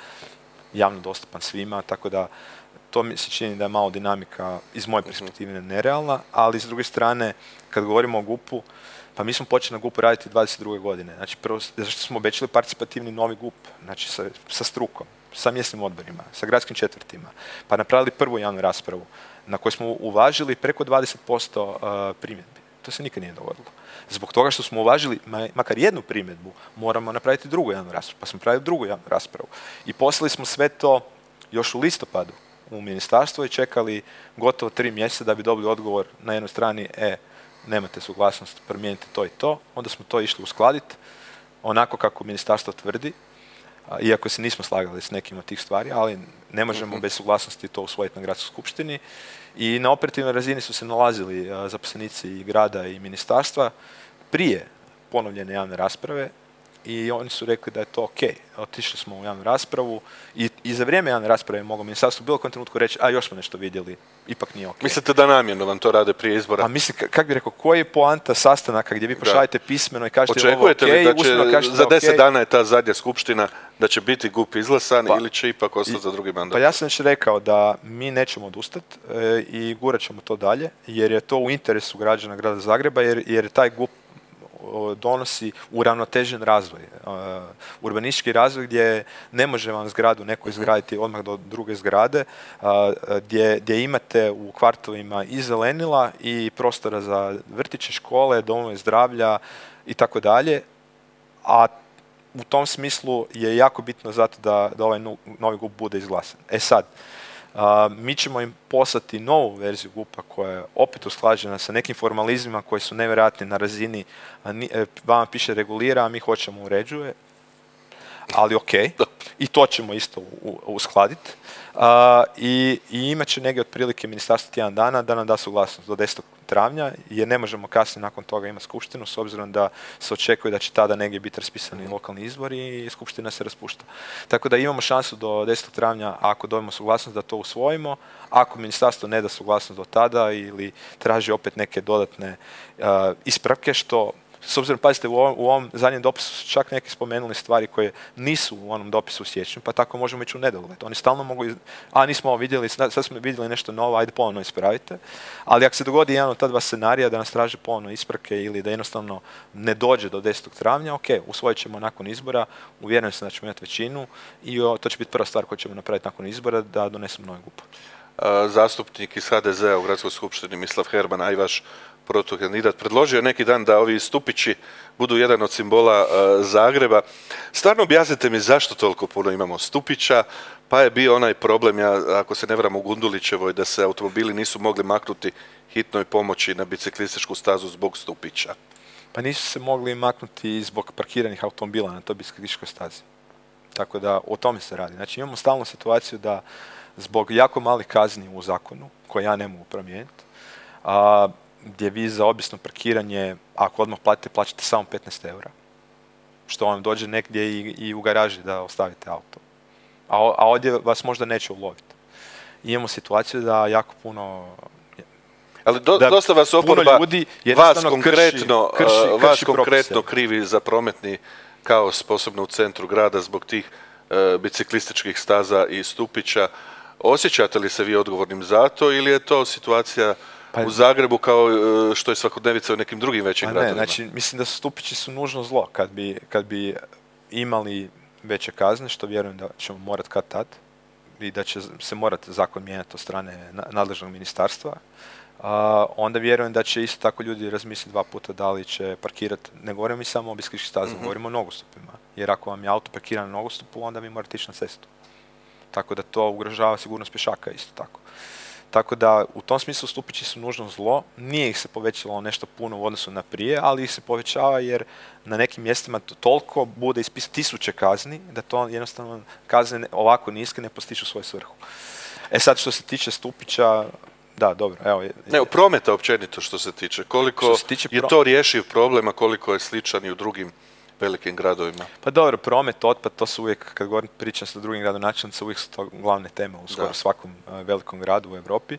javno dostupan svima, tako da to mi se čini da je malo dinamika iz moje perspektive nerealna, ali s druge strane, kad govorimo o G U P-u, pa mi smo počeli na G U P-u raditi dvadeset druge godine. Znači, prvo, zašto smo obećali participativni novi G U P, znači sa, sa strukom, sa mjesnim odborima, sa gradskim četvrtima, pa napravili prvu javnu raspravu na kojoj smo uvažili preko dvadeset posto uh, primjedbi. To se nikad nije dogodilo. Zbog toga što smo uvažili makar jednu primjedbu, moramo napraviti drugu javnu raspravu, pa smo napravili drugu javnu raspravu. I poslali smo sve to još u listopadu u ministarstvo i čekali gotovo tri mjeseca da bi dobili odgovor na jednoj strani, e, nemate suglasnost, promijenite to i to. Onda smo to išli uskladiti onako kako ministarstvo tvrdi, iako se nismo slagali s nekim od tih stvari, ali ne možemo bez suglasnosti to usvojiti na gradskoj skupštini. I na operativnoj razini su se nalazili zaposlenici i grada i ministarstva prije ponovljene javne rasprave i oni su rekli da je to ok. Otišli smo u javnu raspravu i, i za vrijeme javne rasprave je moglo ministarstvo u bilo kojem trenutku reći, a još smo nešto vidjeli, ipak nije ok. Mislite da namjerno vam to rade prije izbora? A mislim, kako bi rekao, koji je poanta sastanaka gdje vi pošaljete pismeno i kažete očekujete ovo ok, li da će, kažete za deset okay. dana je ta zadnja skupština, da će biti G U P izglasan pa, ili će ipak ostati za drugi mandat? Pa ja sam već rekao da mi nećemo odustati e, i gurat ćemo to dalje, jer je to u interesu građana grada Zagreba, jer, jer taj G U P donosi uravnotežen razvoj, uh, urbanistički razvoj gdje ne može vam zgradu neko izgraditi odmah do druge zgrade, uh, gdje, gdje imate u kvartovima i zelenila i prostora za vrtiće, škole, domove zdravlja i tako dalje, a u tom smislu je jako bitno zato da, da ovaj novi G U P bude izglasan. E sad, Uh, mi ćemo im poslati novu verziju G U P-a koja je opet usklađena sa nekim formalizmima koji su nevjerojatni na razini, a ni, e, vama piše regulira, a mi hoćemo uređuje, ali ok, i to ćemo isto u, u, uskladiti. Uh, i, I imat će negdje otprilike ministarstvo tjedan dana da nam da suglasnost do desetog travnja, jer ne možemo kasnije nakon toga imati skupštinu, s obzirom da se očekuje da će tada negdje biti raspisani lokalni izbori i skupština se raspušta. Tako da imamo šansu do desetog travnja, ako dobijemo suglasnost, da to usvojimo. Ako ministarstvo ne da suglasnost do tada ili traži opet neke dodatne uh, ispravke, što s obzirom, pazite, u ovom, u ovom zadnjem dopisu su čak neki spomenuli stvari koje nisu u onom dopisu u siječnju, pa tako možemo ići u nedogled. Oni stalno mogu, iz... a nismo ovo vidjeli, sad smo vidjeli nešto novo, ajde ponovno ispravite. Ali ako se dogodi jedan od ta dva scenarija da nas traže ponovno ispravke ili da jednostavno ne dođe do desetog travnja, ok, usvojit ćemo nakon izbora, uvjeren sam da ćemo imati većinu i o, to će biti prva stvar koju ćemo napraviti nakon izbora, da donesemo novi G U P. Zastupnik iz H D Z-a u Gradskoj skupštini Mislav Herman, a i vaš protukandidat, predložio neki dan da ovi stupići budu jedan od simbola uh, Zagreba. Stvarno objasnite mi zašto toliko puno imamo stupića, pa je bio onaj problem, ja, ako se ne varam, u Gundulićevoj, da se automobili nisu mogli maknuti hitnoj pomoći na biciklističku stazu zbog stupića. Pa nisu se mogli maknuti zbog parkiranih automobila na toj biciklističkoj stazi. Tako da o tome se radi. Znači imamo stalnu situaciju da zbog jako malih kazni u zakonu, koje ja ne mogu promijeniti, a gdje vi za obično parkiranje, ako odmah platite, plaćate samo petnaest eura. Što vam dođe negdje i, i u garaži da ostavite auto. A, a ovdje vas možda neće uloviti. Imamo situaciju da jako puno... Ali do, dosta vas oporba, ljudi vas konkretno, krši, krši, krši vas konkretno krivi za prometni kaos, posebno u centru grada, zbog tih e, biciklističkih staza i stupića. Osjećate li se vi odgovornim za to ili je to situacija pa, u Zagrebu kao što je svakodnevica u nekim drugim većim gradovima? Ne, znači mislim da stupići su nužno zlo. Kad bi, kad bi imali veće kazne, što vjerujem da ćemo morati kad tad i da će se morati zakon mijenjati od strane nadležnog ministarstva, uh, onda vjerujem da će isto tako ljudi razmisliti dva puta da li će parkirati, ne govorimo mi samo o biciklističkim stazama, mm-hmm. govorimo o nogostupima. Jer ako vam je auto parkiran na nogostupu, onda vi morate ići na cestu. Tako da to ugrožava sigurnost pješaka isto tako. Tako da u tom smislu stupići su nužno zlo, nije ih se povećalo nešto puno u odnosu na prije, ali ih se povećava jer na nekim mjestima to toliko bude ispisati tisuće kazni, da to jednostavno kazne ovako niske ne postižu svoju svrhu. E sad što se tiče stupića, da, dobro. Evo, je, Evo, prometa općenito što se tiče. Koliko što se tiče je pro... to rješiv problem, a koliko je sličan i u drugim velikim gradovima? Pa dobro, promet, otpad, to su uvijek, kad govorim pričam sa drugim gradonačelnicima, uvijek su to glavne teme u skoro da. svakom uh, velikom gradu u Europi.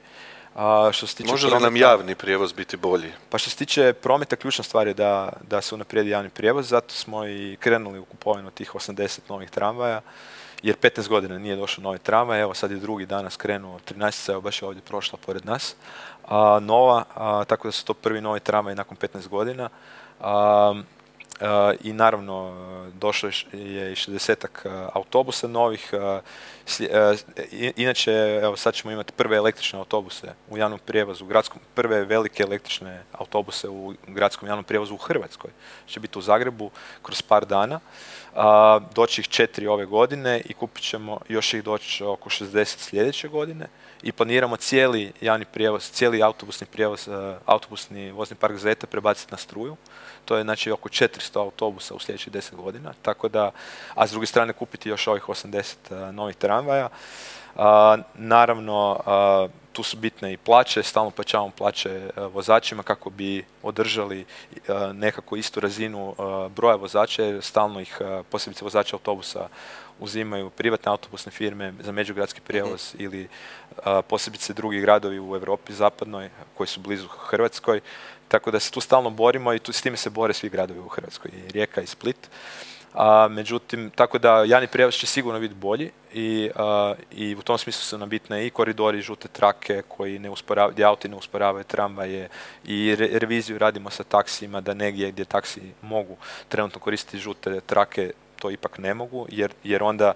A što se tiče Može li prometa, nam javni prijevoz biti bolji? Pa što se tiče prometa, ključna stvar je da, da se unaprijedi javni prijevoz, zato smo i krenuli u kupovinu tih osamdeset novih tramvaja, jer petnaest godina nije došao novi tramvaj, evo sad je drugi danas krenuo, trinaestica, evo baš je ovdje prošla pored nas, a, nova, a, tako da su to prvi novi tramvaj nakon petnaest godina. A, Uh, i naravno došlo je i šezdesetak uh, autobusa novih. Uh, sli, uh, inače, evo sad ćemo imati prve električne autobuse u javnom prijevozu, u gradskom, prve velike električne autobuse u gradskom javnom prijevozu u Hrvatskoj. Će biti u Zagrebu kroz par dana. Uh, doći ih četiri ove godine i kupit ćemo još ih doći oko šezdeset sljedeće godine. I planiramo cijeli javni prijevoz, cijeli autobusni prijevoz, uh, autobusni vozni park Zeta prebaciti na struju. To je znači oko četiristo autobusa u sljedećih deset godina, tako da, a s druge strane kupiti još ovih osamdeset uh, novih tramvaja. Uh, naravno, uh, tu su bitne i plaće, stalno plaćamo plaće uh, vozačima kako bi održali uh, nekako istu razinu uh, broja vozača, jer stalno ih, uh, posebice vozača autobusa, uzimaju privatne autobusne firme za međugradski prijevoz mm-hmm. ili uh, posebice drugi gradovi u Europi zapadnoj koji su blizu Hrvatskoj. Tako da se tu stalno borimo i tu, s time se bore svi gradovi u Hrvatskoj, i Rijeka i Split. A, međutim, tako da javni prijevoz će sigurno biti bolji i, a, i u tom smislu su nam bitne i koridori, žute trake koji ne usporavaju, gdje auti ne usporavaju tramvaje, i re, reviziju radimo sa taksijima da negdje gdje taksiji mogu trenutno koristiti žute trake, to ipak ne mogu, jer, jer onda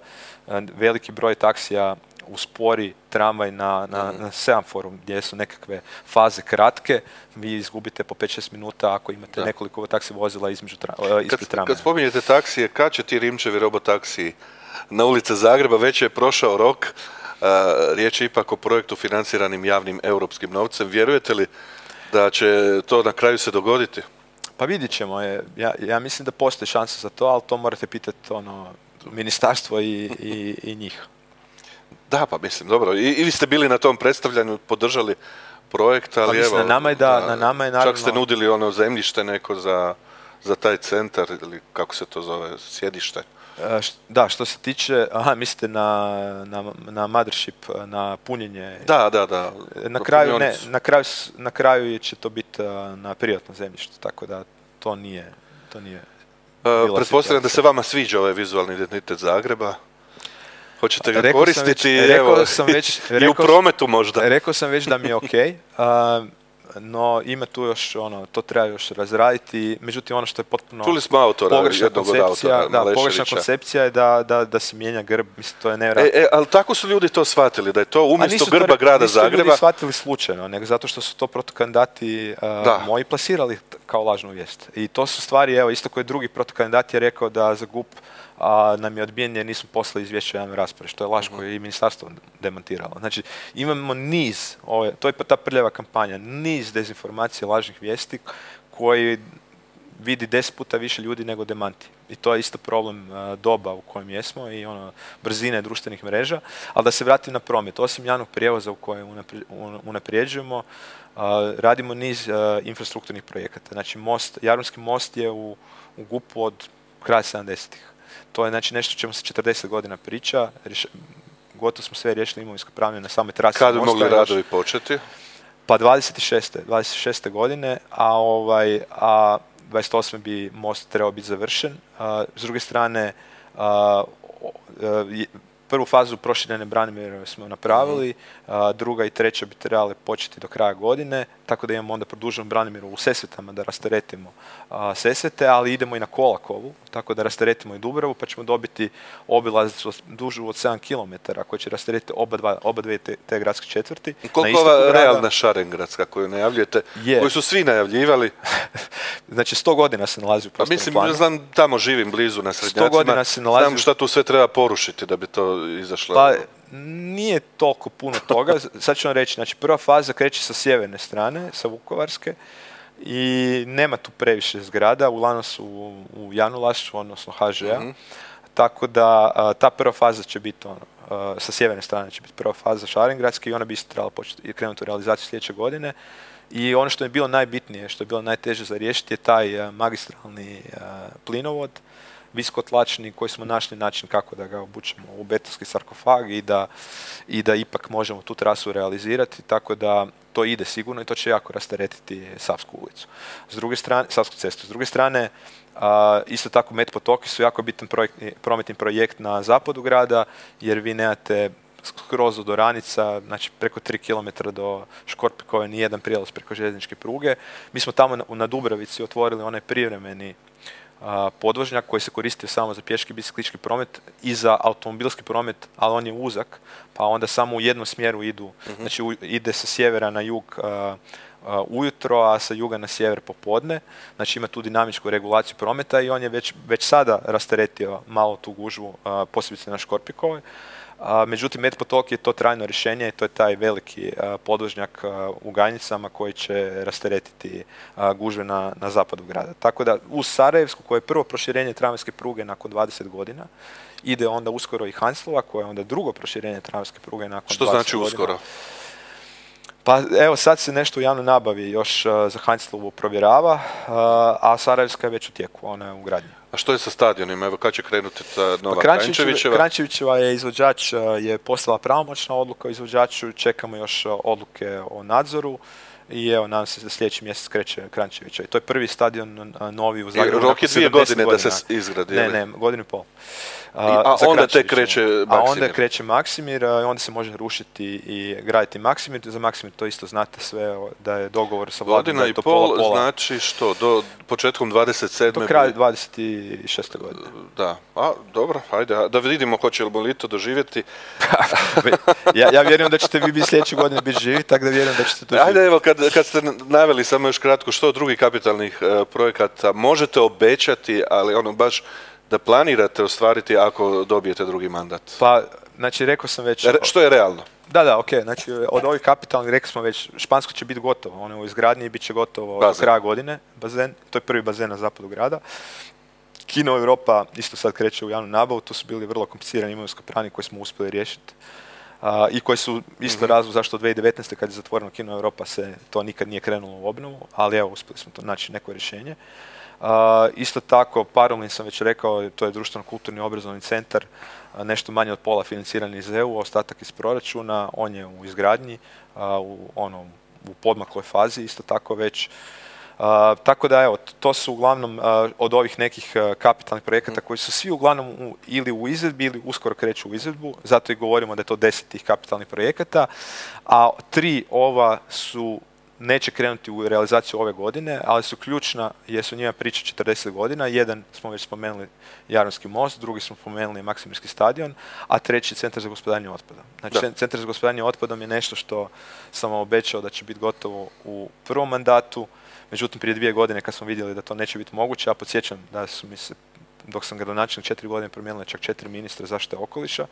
a, veliki broj taksija uspori tramvaj na, na, na semaforu gdje su nekakve faze kratke, vi izgubite po pet šest minuta ako imate da. nekoliko taksi vozila između tra, ispred tramvaja. Kad spominjete taksije, kad će ti Rimčevi robotaksiji na ulice Zagreba, već je prošao rok, a, riječ je ipak o projektu financiranim javnim europskim novcem. Vjerujete li da će to na kraju se dogoditi? Pa vidjet ćemo. Ja, ja mislim da postoji šansa za to, ali to morate pitati ono, ministarstvo i, i, i njih. Da, pa mislim, dobro. I, i vi ste bili na tom predstavljanju, podržali projekt, ali pa mislim, evo... Na nama je da, da, na nama je naravno... Čak ste nudili ono zemljište neko za, za taj centar, ili kako se to zove, sjedište. E, š, da, što se tiče... Aha, mislite na, na, na mothership, na punjenje... Da, da, da. Na kraju, ne, na kraju, na kraju će to biti na privatno zemljište, tako da to nije... To nije e, pretpostavljam da se vama sviđa ovaj vizualni identitet Zagreba. Hoćete ga rekao koristiti već, evo, sam već, i rekao, u prometu možda. Rekao sam već da mi je ok, uh, no ima tu još, ono, to treba još razraditi, međutim ono što je potpuno Čuli smo autora, pogrešna koncepcija, autora, da, pogrešna koncepcija je da, da, da se mijenja grb, mislim, to je nevjerojatno. E, e, ali tako su ljudi to shvatili, da je to umjesto grba to, grada nisu Zagreba. Nisu ljudi shvatili slučajno, nego zato što su to protokandidati uh, moji plasirali kao lažnu vijest. I to su stvari, evo, isto koji drugi protokandidat je rekao da za G U P a nam je odbijen jer nismo poslali izvješće javne rasprave, što je laž koju je i ministarstvo demantiralo. Znači, imamo niz, ove, to je ta prljava kampanja, niz dezinformacija, lažnih vijesti koji vidi deset puta više ljudi nego demanti. I to je isto problem uh, doba u kojem jesmo i ono, brzine društvenih mreža. Ali da se vratim na promet, osim javnog prijevoza u kojem unapri, unaprijeđujemo, uh, radimo niz uh, infrastrukturnih projekata. Znači, most, Jadranski most je u, u G U P-u od kraja sedamdesetih. To je znači nešto o čemu se četrdeset godina priča, Riš, gotovo smo sve riješili imovinsko pravne na samoj trasi mosta. Kad mosta. bi mogli radovi početi? Pa dvadeset šeste godine, a, ovaj, a dvadeset osme bi most trebao biti završen. A, s druge strane, a, a, prvu fazu proširene Branimirove smo napravili, a, druga i treća bi trebale početi do kraja godine, tako da imamo onda produženu Branimiru u Sesvetama da rasteretimo a, Sesvete, ali idemo i na Kolakovu, tako da rasteretimo i Dubravu, pa ćemo dobiti obilaznicu dužu od sedam kilometara koja će rasteretiti oba, dva, oba dvije te, te gradske četvrti. Koliko ova realna Šarengradska koju najavljujete, je. Koju su svi najavljivali? Znači sto godina se nalazi u prostornom mislim, planu. Znam, tamo živim blizu na Srednjacima, sto godina se nalazi... znam šta tu sve treba porušiti da bi to izašlo. Pa, nije toliko puno toga. Sad ću vam reći, znači prva faza kreće sa sjeverne strane, sa Vukovarske, i nema tu previše zgrada, uglavnom su u, u javnom vlasništvu, odnosno H Ž A. Mm-hmm. tako da a, ta prva faza će biti ono, a, sa sjeverne strane će biti prva faza Šarengradske i ona bi isto trebala početi i krenuti u realizaciju sljedeće godine. I ono što je bilo najbitnije, što je bilo najteže za riješiti je taj a, magistralni a, plinovod, visokotlačni, koji smo našli način kako da ga obučemo u betonski sarkofag i da, i da ipak možemo tu trasu realizirati, tako da to ide sigurno i to će jako rasteretiti Savsku ulicu. S druge strane, Savsku cestu. S druge strane, a, isto tako Met potoki su jako bitan projekt, prometni projekt na zapadu grada, jer vi nemate skroz do Oranica, znači preko tri kilometra do Škorpikove, nijedan prijelaz preko željezničke pruge. Mi smo tamo na, na Dubravici otvorili onaj privremeni a, podvožnjak koji se koristio samo za pješki biciklistički promet i za automobilski promet, ali on je uzak, pa onda samo u jednom smjeru idu, uh-huh. znači u, ide sa sjevera na jug a, a, ujutro, a sa juga na sjever popodne, znači ima tu dinamičku regulaciju prometa i on je već, već sada rasteretio malo tu gužvu, a, posebice na Škorpikovoj. A, međutim, Met potok je to trajno rješenje i to je taj veliki a, podvožnjak a, u Ganjicama koji će rasteretiti a, gužve na, na zapadu grada. Tako da uz Sarajevsku, koje je prvo proširenje tramvajske pruge nakon dvadeset godina, ide onda uskoro i Hanslova, koje je onda drugo proširenje tramvajske pruge nakon Što dvadeset znači godina. uskoro? Pa evo sad se nešto u javnoj nabavi još uh, za Handslovu provjerava, uh, a Sarajevska je već u tijeku, ona je u gradnji. A što je sa stadionima? Evo, kad će krenuti ta nova Pa Kranjčevićeva? Kranjčevićeva je izvođač, je postala pravomoćna odluka o izvođaču, čekamo još odluke o nadzoru i evo, nadam se da sljedeći mjesec kreće Kranjčevića. I to je prvi stadion novi u Zagrebu. Rok je dvije godine da se izgradi. Ne, ne, godinu i pol. A, a onda tek kreće Maksimir. A onda kreće Maksimir, a onda se može rušiti i graditi Maksimir. Za Maksimir to isto znate sve, da je dogovor sa vladom. Godina i pol znači što? Do početkom dvadeset sedme Do kraja dvadeset šeste godine. Da, a dobro, ajde, da vidimo hoćemo li to doživjeti. ja, ja vjerujem da ćete vi biti sljedeće godine biti živi, tako da vjerujem da ćete to živjeti. Ajde, evo, kad, kad ste naveli samo još kratko što drugih kapitalnih uh, projekata možete obećati, ali ono baš da planirate ostvariti ako dobijete drugi mandat? Pa, znači, rekao sam već... Re, što je realno? Da, da, ok. Znači, od ovih kapitalnih, rekli smo već, Špansko će biti gotovo. Ono u izgradnji bit će gotovo bazen. Do kraja godine. Bazen. To je prvi bazen na zapadu grada. Kino Europa isto sad kreće u javnu nabavu. Tu su bili vrlo komplicirani imovinsko-pravni koji smo uspjeli riješiti. Uh, I koji su isto mm-hmm. razlog zašto dvije tisuće devetnaeste kad je zatvoreno Kino Europa se to nikad nije krenulo u obnovu. Ali evo, uspjeli smo to naći neko rješenje. Uh, isto tako, Parolin sam već rekao, to je društveno-kulturni obrazovni centar, uh, nešto manje od pola financiran iz E U, ostatak iz proračuna, on je u izgradnji, uh, u, ono, u podmakloj fazi, isto tako već. Uh, tako da, evo, to su uglavnom uh, od ovih nekih uh, kapitalnih projekata koji su svi uglavnom u, ili u izvedbi ili uskoro kreću u izvedbu, zato i govorimo da je to deset tih kapitalnih projekata, a tri ova su neće krenuti u realizaciju ove godine, ali su ključna jer su njima priča četrdeset godina. Jedan smo već spomenuli Jadranski most, drugi smo spomenuli Maksimirski stadion, a treći Centar za gospodarenje otpadom. Znači, da. Centar za gospodarenje otpadom je nešto što sam vam obećao da će biti gotovo u prvom mandatu, međutim prije dvije godine kad smo vidjeli da to neće biti moguće, ja podsjećam da su mi se dok sam gradonačelnik četiri godine promijenila čak četiri ministra zaštite okoliša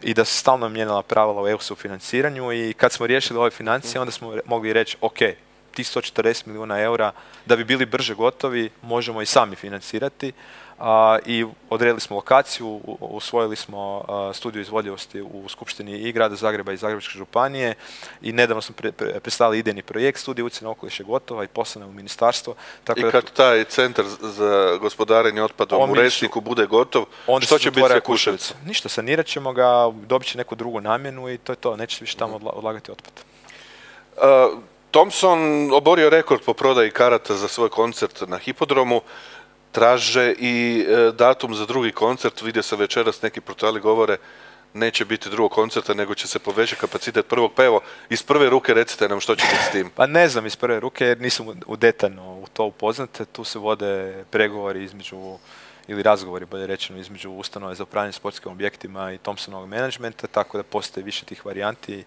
i da se stalno mijenjala pravila u E U sufinanciranju i kad smo riješili ove financije onda smo mogli reći ok, tih sto četrdeset milijuna eura da bi bili brže gotovi možemo i sami financirati a, i odredili smo lokaciju, usvojili smo a, studiju izvodljivosti u Skupštini i grada Zagreba i Zagrebačke županije i nedavno smo pre, pre, predstavili idejni projekt, studija utjecaja na okoliš je gotova i poslana u ministarstvo. Tako I kad da, taj centar za gospodarenje otpadom u Resniku bude gotov, što će biti sa Kuševicom? Ništa, sanirat ćemo ga, dobit će neku drugu namjenu i to je to, neće se više tamo odla, odlagati otpad. Uh, Thompson oborio rekord po prodaji karata za svoj koncert na Hipodromu. Traže i e, datum za drugi koncert, vidio sam večeras neki portali govore neće biti drugog koncerta nego će se povećati kapacitet prvog, pa evo iz prve ruke recite nam što će biti s tim. Pa ne znam iz prve ruke jer nisam u detaljno u to upoznat, tu se vode pregovori između ili razgovori bolje rečeno između ustanove za upravljanje sportskim objektima i Thompsonovog menadžmenta, tako da postoji više tih varijanti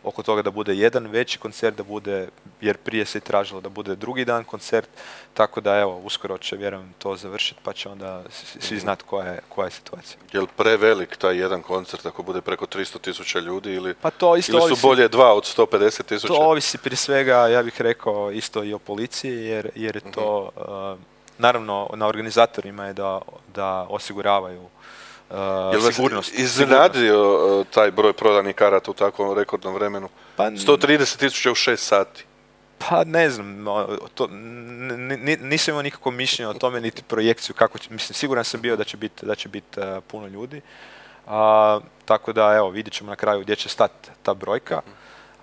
oko toga da bude jedan veći koncert, da bude, jer prije se i tražilo da bude drugi dan koncert, tako da evo, uskoro će vjerujem to završiti pa će onda svi znati koja je, koja je situacija. Je li prevelik taj jedan koncert ako bude preko tristo tisuća ljudi ili, pa to isto ili su ovisi, bolje dva od sto pedeset tisuća? To ovisi prije svega, ja bih rekao, isto i o policiji jer, jer je to uh, naravno na organizatorima je da, da osiguravaju uh, Jel vas sigurnost. iznenadio uh, taj broj prodanih karata u takvom rekordnom vremenu? Pa, sto trideset tisuća u šest sati. Pa ne znam, to, n- n- nisam imao nikakvo mišljenje o tome, niti projekciju kako će, mislim, siguran sam bio da će biti da će biti uh, puno ljudi. A, tako da, evo, vidjet ćemo na kraju gdje će stati ta brojka.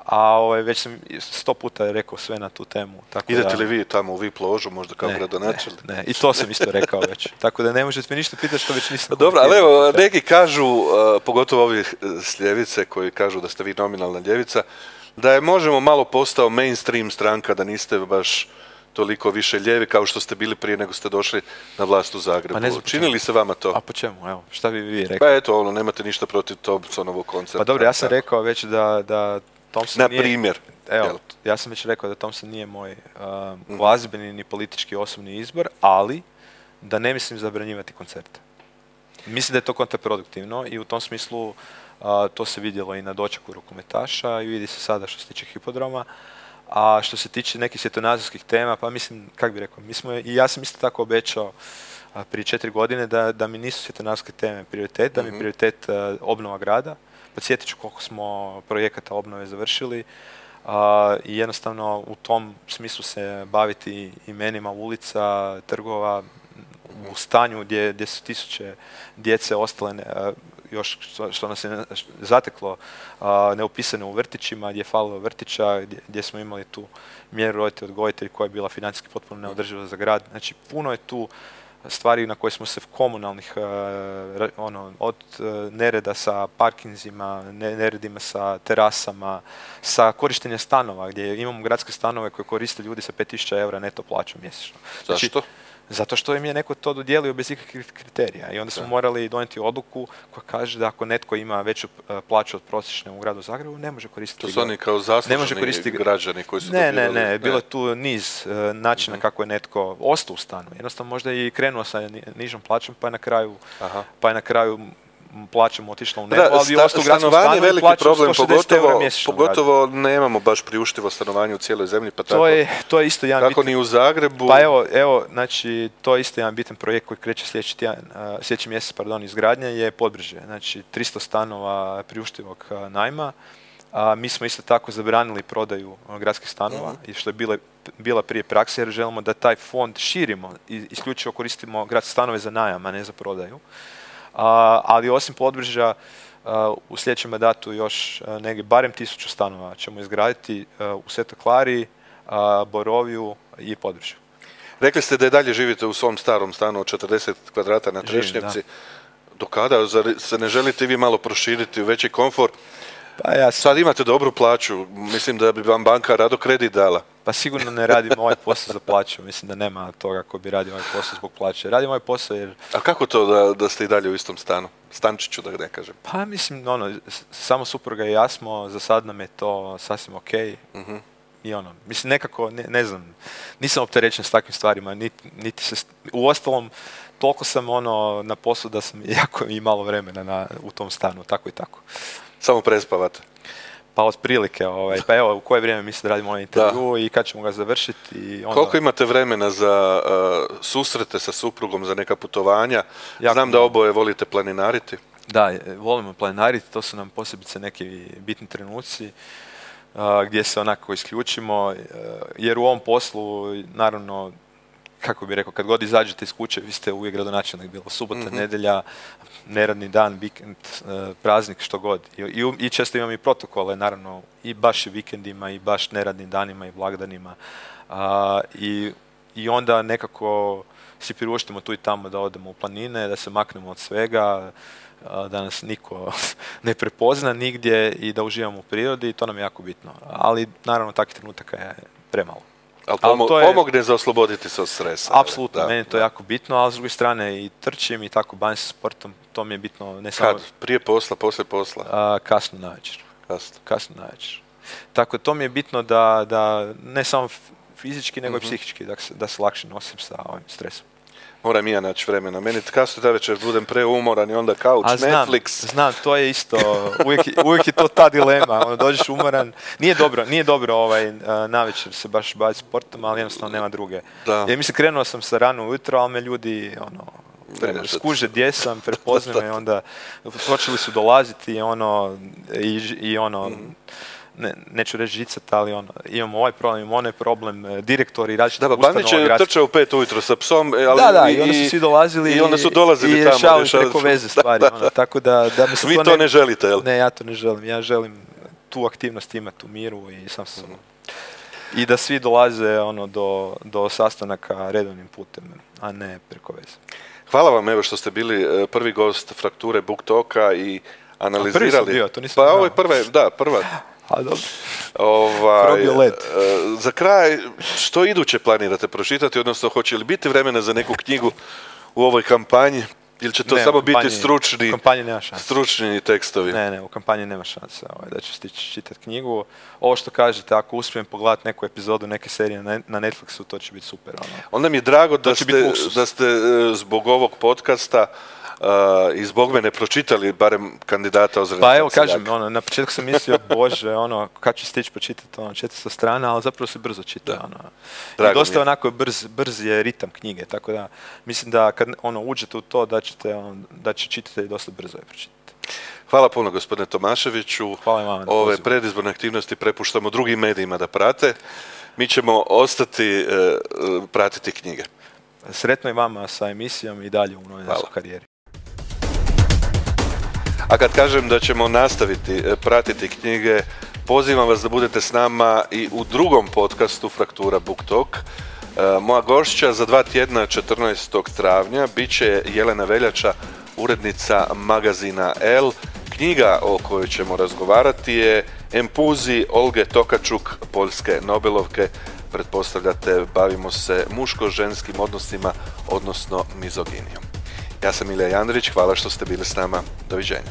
A ovaj, već sam sto puta rekao sve na tu temu. Tako Idete da, li vi tamo u V I P ložu, možda kao gradonačelnik? Ne, ne, i to sam isto rekao već. Tako da ne možete mi ništa pitati što već nisam... Dobro, ali evo, neki kažu, uh, pogotovo ovi s ljevice koji kažu da ste vi nominalna ljevica, da je Možemo malo postao mainstream stranka, da niste baš toliko više ljevi kao što ste bili prije nego ste došli na vlast u Zagrebu. Pa ne znam Čini li se vama to? A po čemu? Evo, šta bi vi rekli? Pa eto, ono, nemate ništa protiv Thompsonovog koncerta. Pa dobro, ja sam rekao već da, da Thompson Na nije... primjer. Evo, jel? ja sam već rekao da Thompson nije moj uh, glazbeni ni politički osobni izbor, ali da ne mislim zabranjivati koncerte. Mislim da je to kontraproduktivno i u tom smislu uh, to se vidjelo i na dočeku rukometaša i vidi se sada što se tiče hipodroma. A što se tiče nekih svjetonazorskih tema, pa mislim, kak bi rekao, mi smo, i ja sam isto tako obećao a, prije četiri godine da, da mi nisu svjetonazorske teme prioritet, da mi je prioritet a, obnova grada. Podsjetit ću koliko smo projekata obnove završili a, i jednostavno u tom smislu se baviti imenima ulica, trgova, u stanju gdje, gdje su tisuće djece ostale ne, a, još što, što nas je zateklo a, neupisane u vrtićima, gdje je falilo vrtića, gdje, gdje smo imali tu mjeru roditelj odgojitelj koja je bila financijski potpuno neodrživa za grad. Znači, puno je tu stvari na koje smo se komunalnih, uh, ono, od uh, nereda sa parkinzima, ne, neredima sa terasama, sa korištenjem stanova, gdje imamo gradske stanove koje koriste ljudi sa pet tisuća eura neto plaću mjesečno. Znači, zašto? Zato što im je neko to dodijelio bez ikakvih kriterija i onda smo da. morali donijeti odluku koja kaže da ako netko ima veću uh, plaću od prosječne u gradu Zagrebu, ne može koristiti... To su oni kao zasluženi koristiti... građani koji su ne, dobivali... Ne, ne, ne, bilo je tu niz uh, načina mm-hmm. kako je netko ostao u stanu. Jednostavno možda je i krenuo sa ni, nižom plaćom pa je na kraju, pa je na kraju plaćamo otišla u nebo, ali sta, ostao u gradskom stanu veliki i plaćamo problem, sto šezdeset eura mjesečno. Pogotovo nemamo baš priuštivo stanovanje u cijeloj zemlji, pa tako, to je, to je isto jedan kako bitan, ni u Zagrebu. Pa evo, evo, znači, to je isto jedan bitan projekt koji kreće sljedeći, tjedan, uh, sljedeći mjesec, pardon, izgradnja je Podbrže. Znači, tristo stanova priuštivog uh, najma. A mi smo isto tako zabranili prodaju uh, gradskih stanova, mm-hmm. i što je bile, bila prije prakse, jer želimo da taj fond širimo i isključivo koristimo gradske stanove za najam, a ne za prodaju. Uh, ali osim Podbrža, uh, u sljedećem mandatu još uh, negdje barem tisuću stanova ćemo izgraditi uh, u Svetoj Klari, uh, Boroviju i Podbržu. Rekli ste da i dalje živite u svom starom stanu od četrdeset kvadrata na Trešnjevci. Do kada? Zar se ne želite vi malo proširiti u veći komfor? Pa ja sam... Sad imate dobru plaću, mislim da bi vam banka rado kredit dala. Pa sigurno ne radim ovaj posao za plaću, mislim da nema toga ko bi radio ovaj posao zbog plaće. Radim ovaj posao jer... A kako to da, da ste i dalje u istom stanu? Stančiću, da ne kažem. Pa mislim, ono, samo supruga i ja smo, za sad nam je to sasvim okej. Uh-huh. I ono, mislim, nekako, ne, ne znam, nisam opterećen s takvim stvarima, niti, niti se... Uostalom, toliko sam ono na poslu da sam jako i malo vremena na, u tom stanu, tako i tako. Samo prespavate? Pa otprilike, ovaj, pa evo, u koje vrijeme mislim da radimo ovaj intervju da. I kad ćemo ga završiti. I onda... Koliko imate vremena za uh, susrete sa suprugom, za neka putovanja? Jako Znam da oboje volite planinariti. Da, volimo planinariti, to su nam posebice neki bitni trenuci uh, gdje se onako isključimo, uh, jer u ovom poslu, naravno, kako bih rekao, kad god izađete iz kuće, vi ste uvijek gradonačelnik, bilo subota, mm-hmm. nedjelja, neradni dan, vikend, praznik, što god. I, i, i često imam i protokole, naravno, i baš i vikendima, i baš neradnim danima, i blagdanima. A, i, I onda nekako si priuštimo tu i tamo da odemo u planine, da se maknemo od svega, a, da nas niko ne prepozna nigdje i da uživamo u prirodi, i to nam je jako bitno. Ali, naravno, takvih trenutaka je premalo. Ali pomo- to je, pomogne za osloboditi se od stresa. Apsolutno, da, meni je to da. jako bitno, ali s druge strane i trčim i tako bavim se sportom, to mi je bitno. Ne samo, Kad? Prije posla, poslije posla? A, kasno navečer. Kasno. Kasno navečer. Tako, to mi je bitno da, da ne samo fizički, nego mm-hmm. i psihički, da se, da se lakše nosim sa ovim stresom. Moram i ja naći vremena. Meni kasno da večer budem preumoran i onda couch, A znam, Netflix. Znam, to je isto, uvijek, uvijek je to ta dilema, ono, dođeš umoran, nije dobro, nije dobro ovaj, navečer se baš baviti sportom, ali jednostavno nema druge. Da. Ja mislim, krenuo sam sa rano ujutro, ali me ljudi, ono, pre, skuže gdje sam, prepoznaju me, onda počeli su dolaziti, ono, i, i ono, mm. Ne, neću reći žicat, ali ono, imamo ovaj problem, imamo onaj problem, direktori različitih ustanova. Da, Bandić je trčao u pet ujutro sa psom, ali da, da, i, i onda su svi dolazili i, onda su dolazili i tamo, rješavali preko veze stvari. Da, da. Ono, tako da, da mi se Vi to, to ne, ne želite, jel? Ne, ja to ne želim. Ja želim tu aktivnost imati u miru i sam sam. Mm. I da svi dolaze ono, do, do sastanaka redovnim putem, a ne preko veze. Hvala vam evo što ste bili prvi gost Frakture Book Talka i analizirali. A prvi sam bio, to nisam Pa znao. ovo je prva, da, prva. A dobro. Ovaj, za kraj, što iduće planirate pročitati, odnosno hoće li biti vremena za neku knjigu u ovoj kampanji? Ili će to ne, samo kampanji, biti stručni, stručni tekstovi? Ne, ne, u kampanji nema šanse ovaj, da ću stići čitati knjigu. Ovo što kažete, ako uspijem pogledati neku epizodu neke serije na, na Netflixu, to će biti super. Ono. Onda mi je drago da ste, da ste zbog ovog podcasta Uh, i zbog mene pročitali barem kandidata Ozren. Pa evo kažem, ono, na početku sam mislio, bože, ono, kad ću stići počitati ono, četiristo strana, ali zapravo se brzo čita. Ono. I dosta onako brz, brz je ritam knjige, tako da mislim da kad ono, uđete u to da ćete, ono, da će čitatelji dosta brzo je pročitati. Hvala puno gospodine Tomaševiću. Hvala vam. Ove predizborne aktivnosti prepuštamo drugim medijima da prate. Mi ćemo ostati uh, pratiti knjige. Sretno i vama sa emisijom i dalje u novoj karijeri. A kad kažem da ćemo nastaviti pratiti knjige, pozivam vas da budete s nama i u drugom podcastu Fraktura Book Talk. Moja gošća za dva tjedna, četrnaestog travnja, bit će Jelena Veljača, urednica magazina El. Knjiga o kojoj ćemo razgovarati je Empuzi Olge Tokačuk, poljske Nobelovke. Pretpostavljate, bavimo se muško-ženskim odnosima, odnosno mizoginijom. Ja sam Ilija Jandrić, hvala što ste bili s nama. Doviđenja.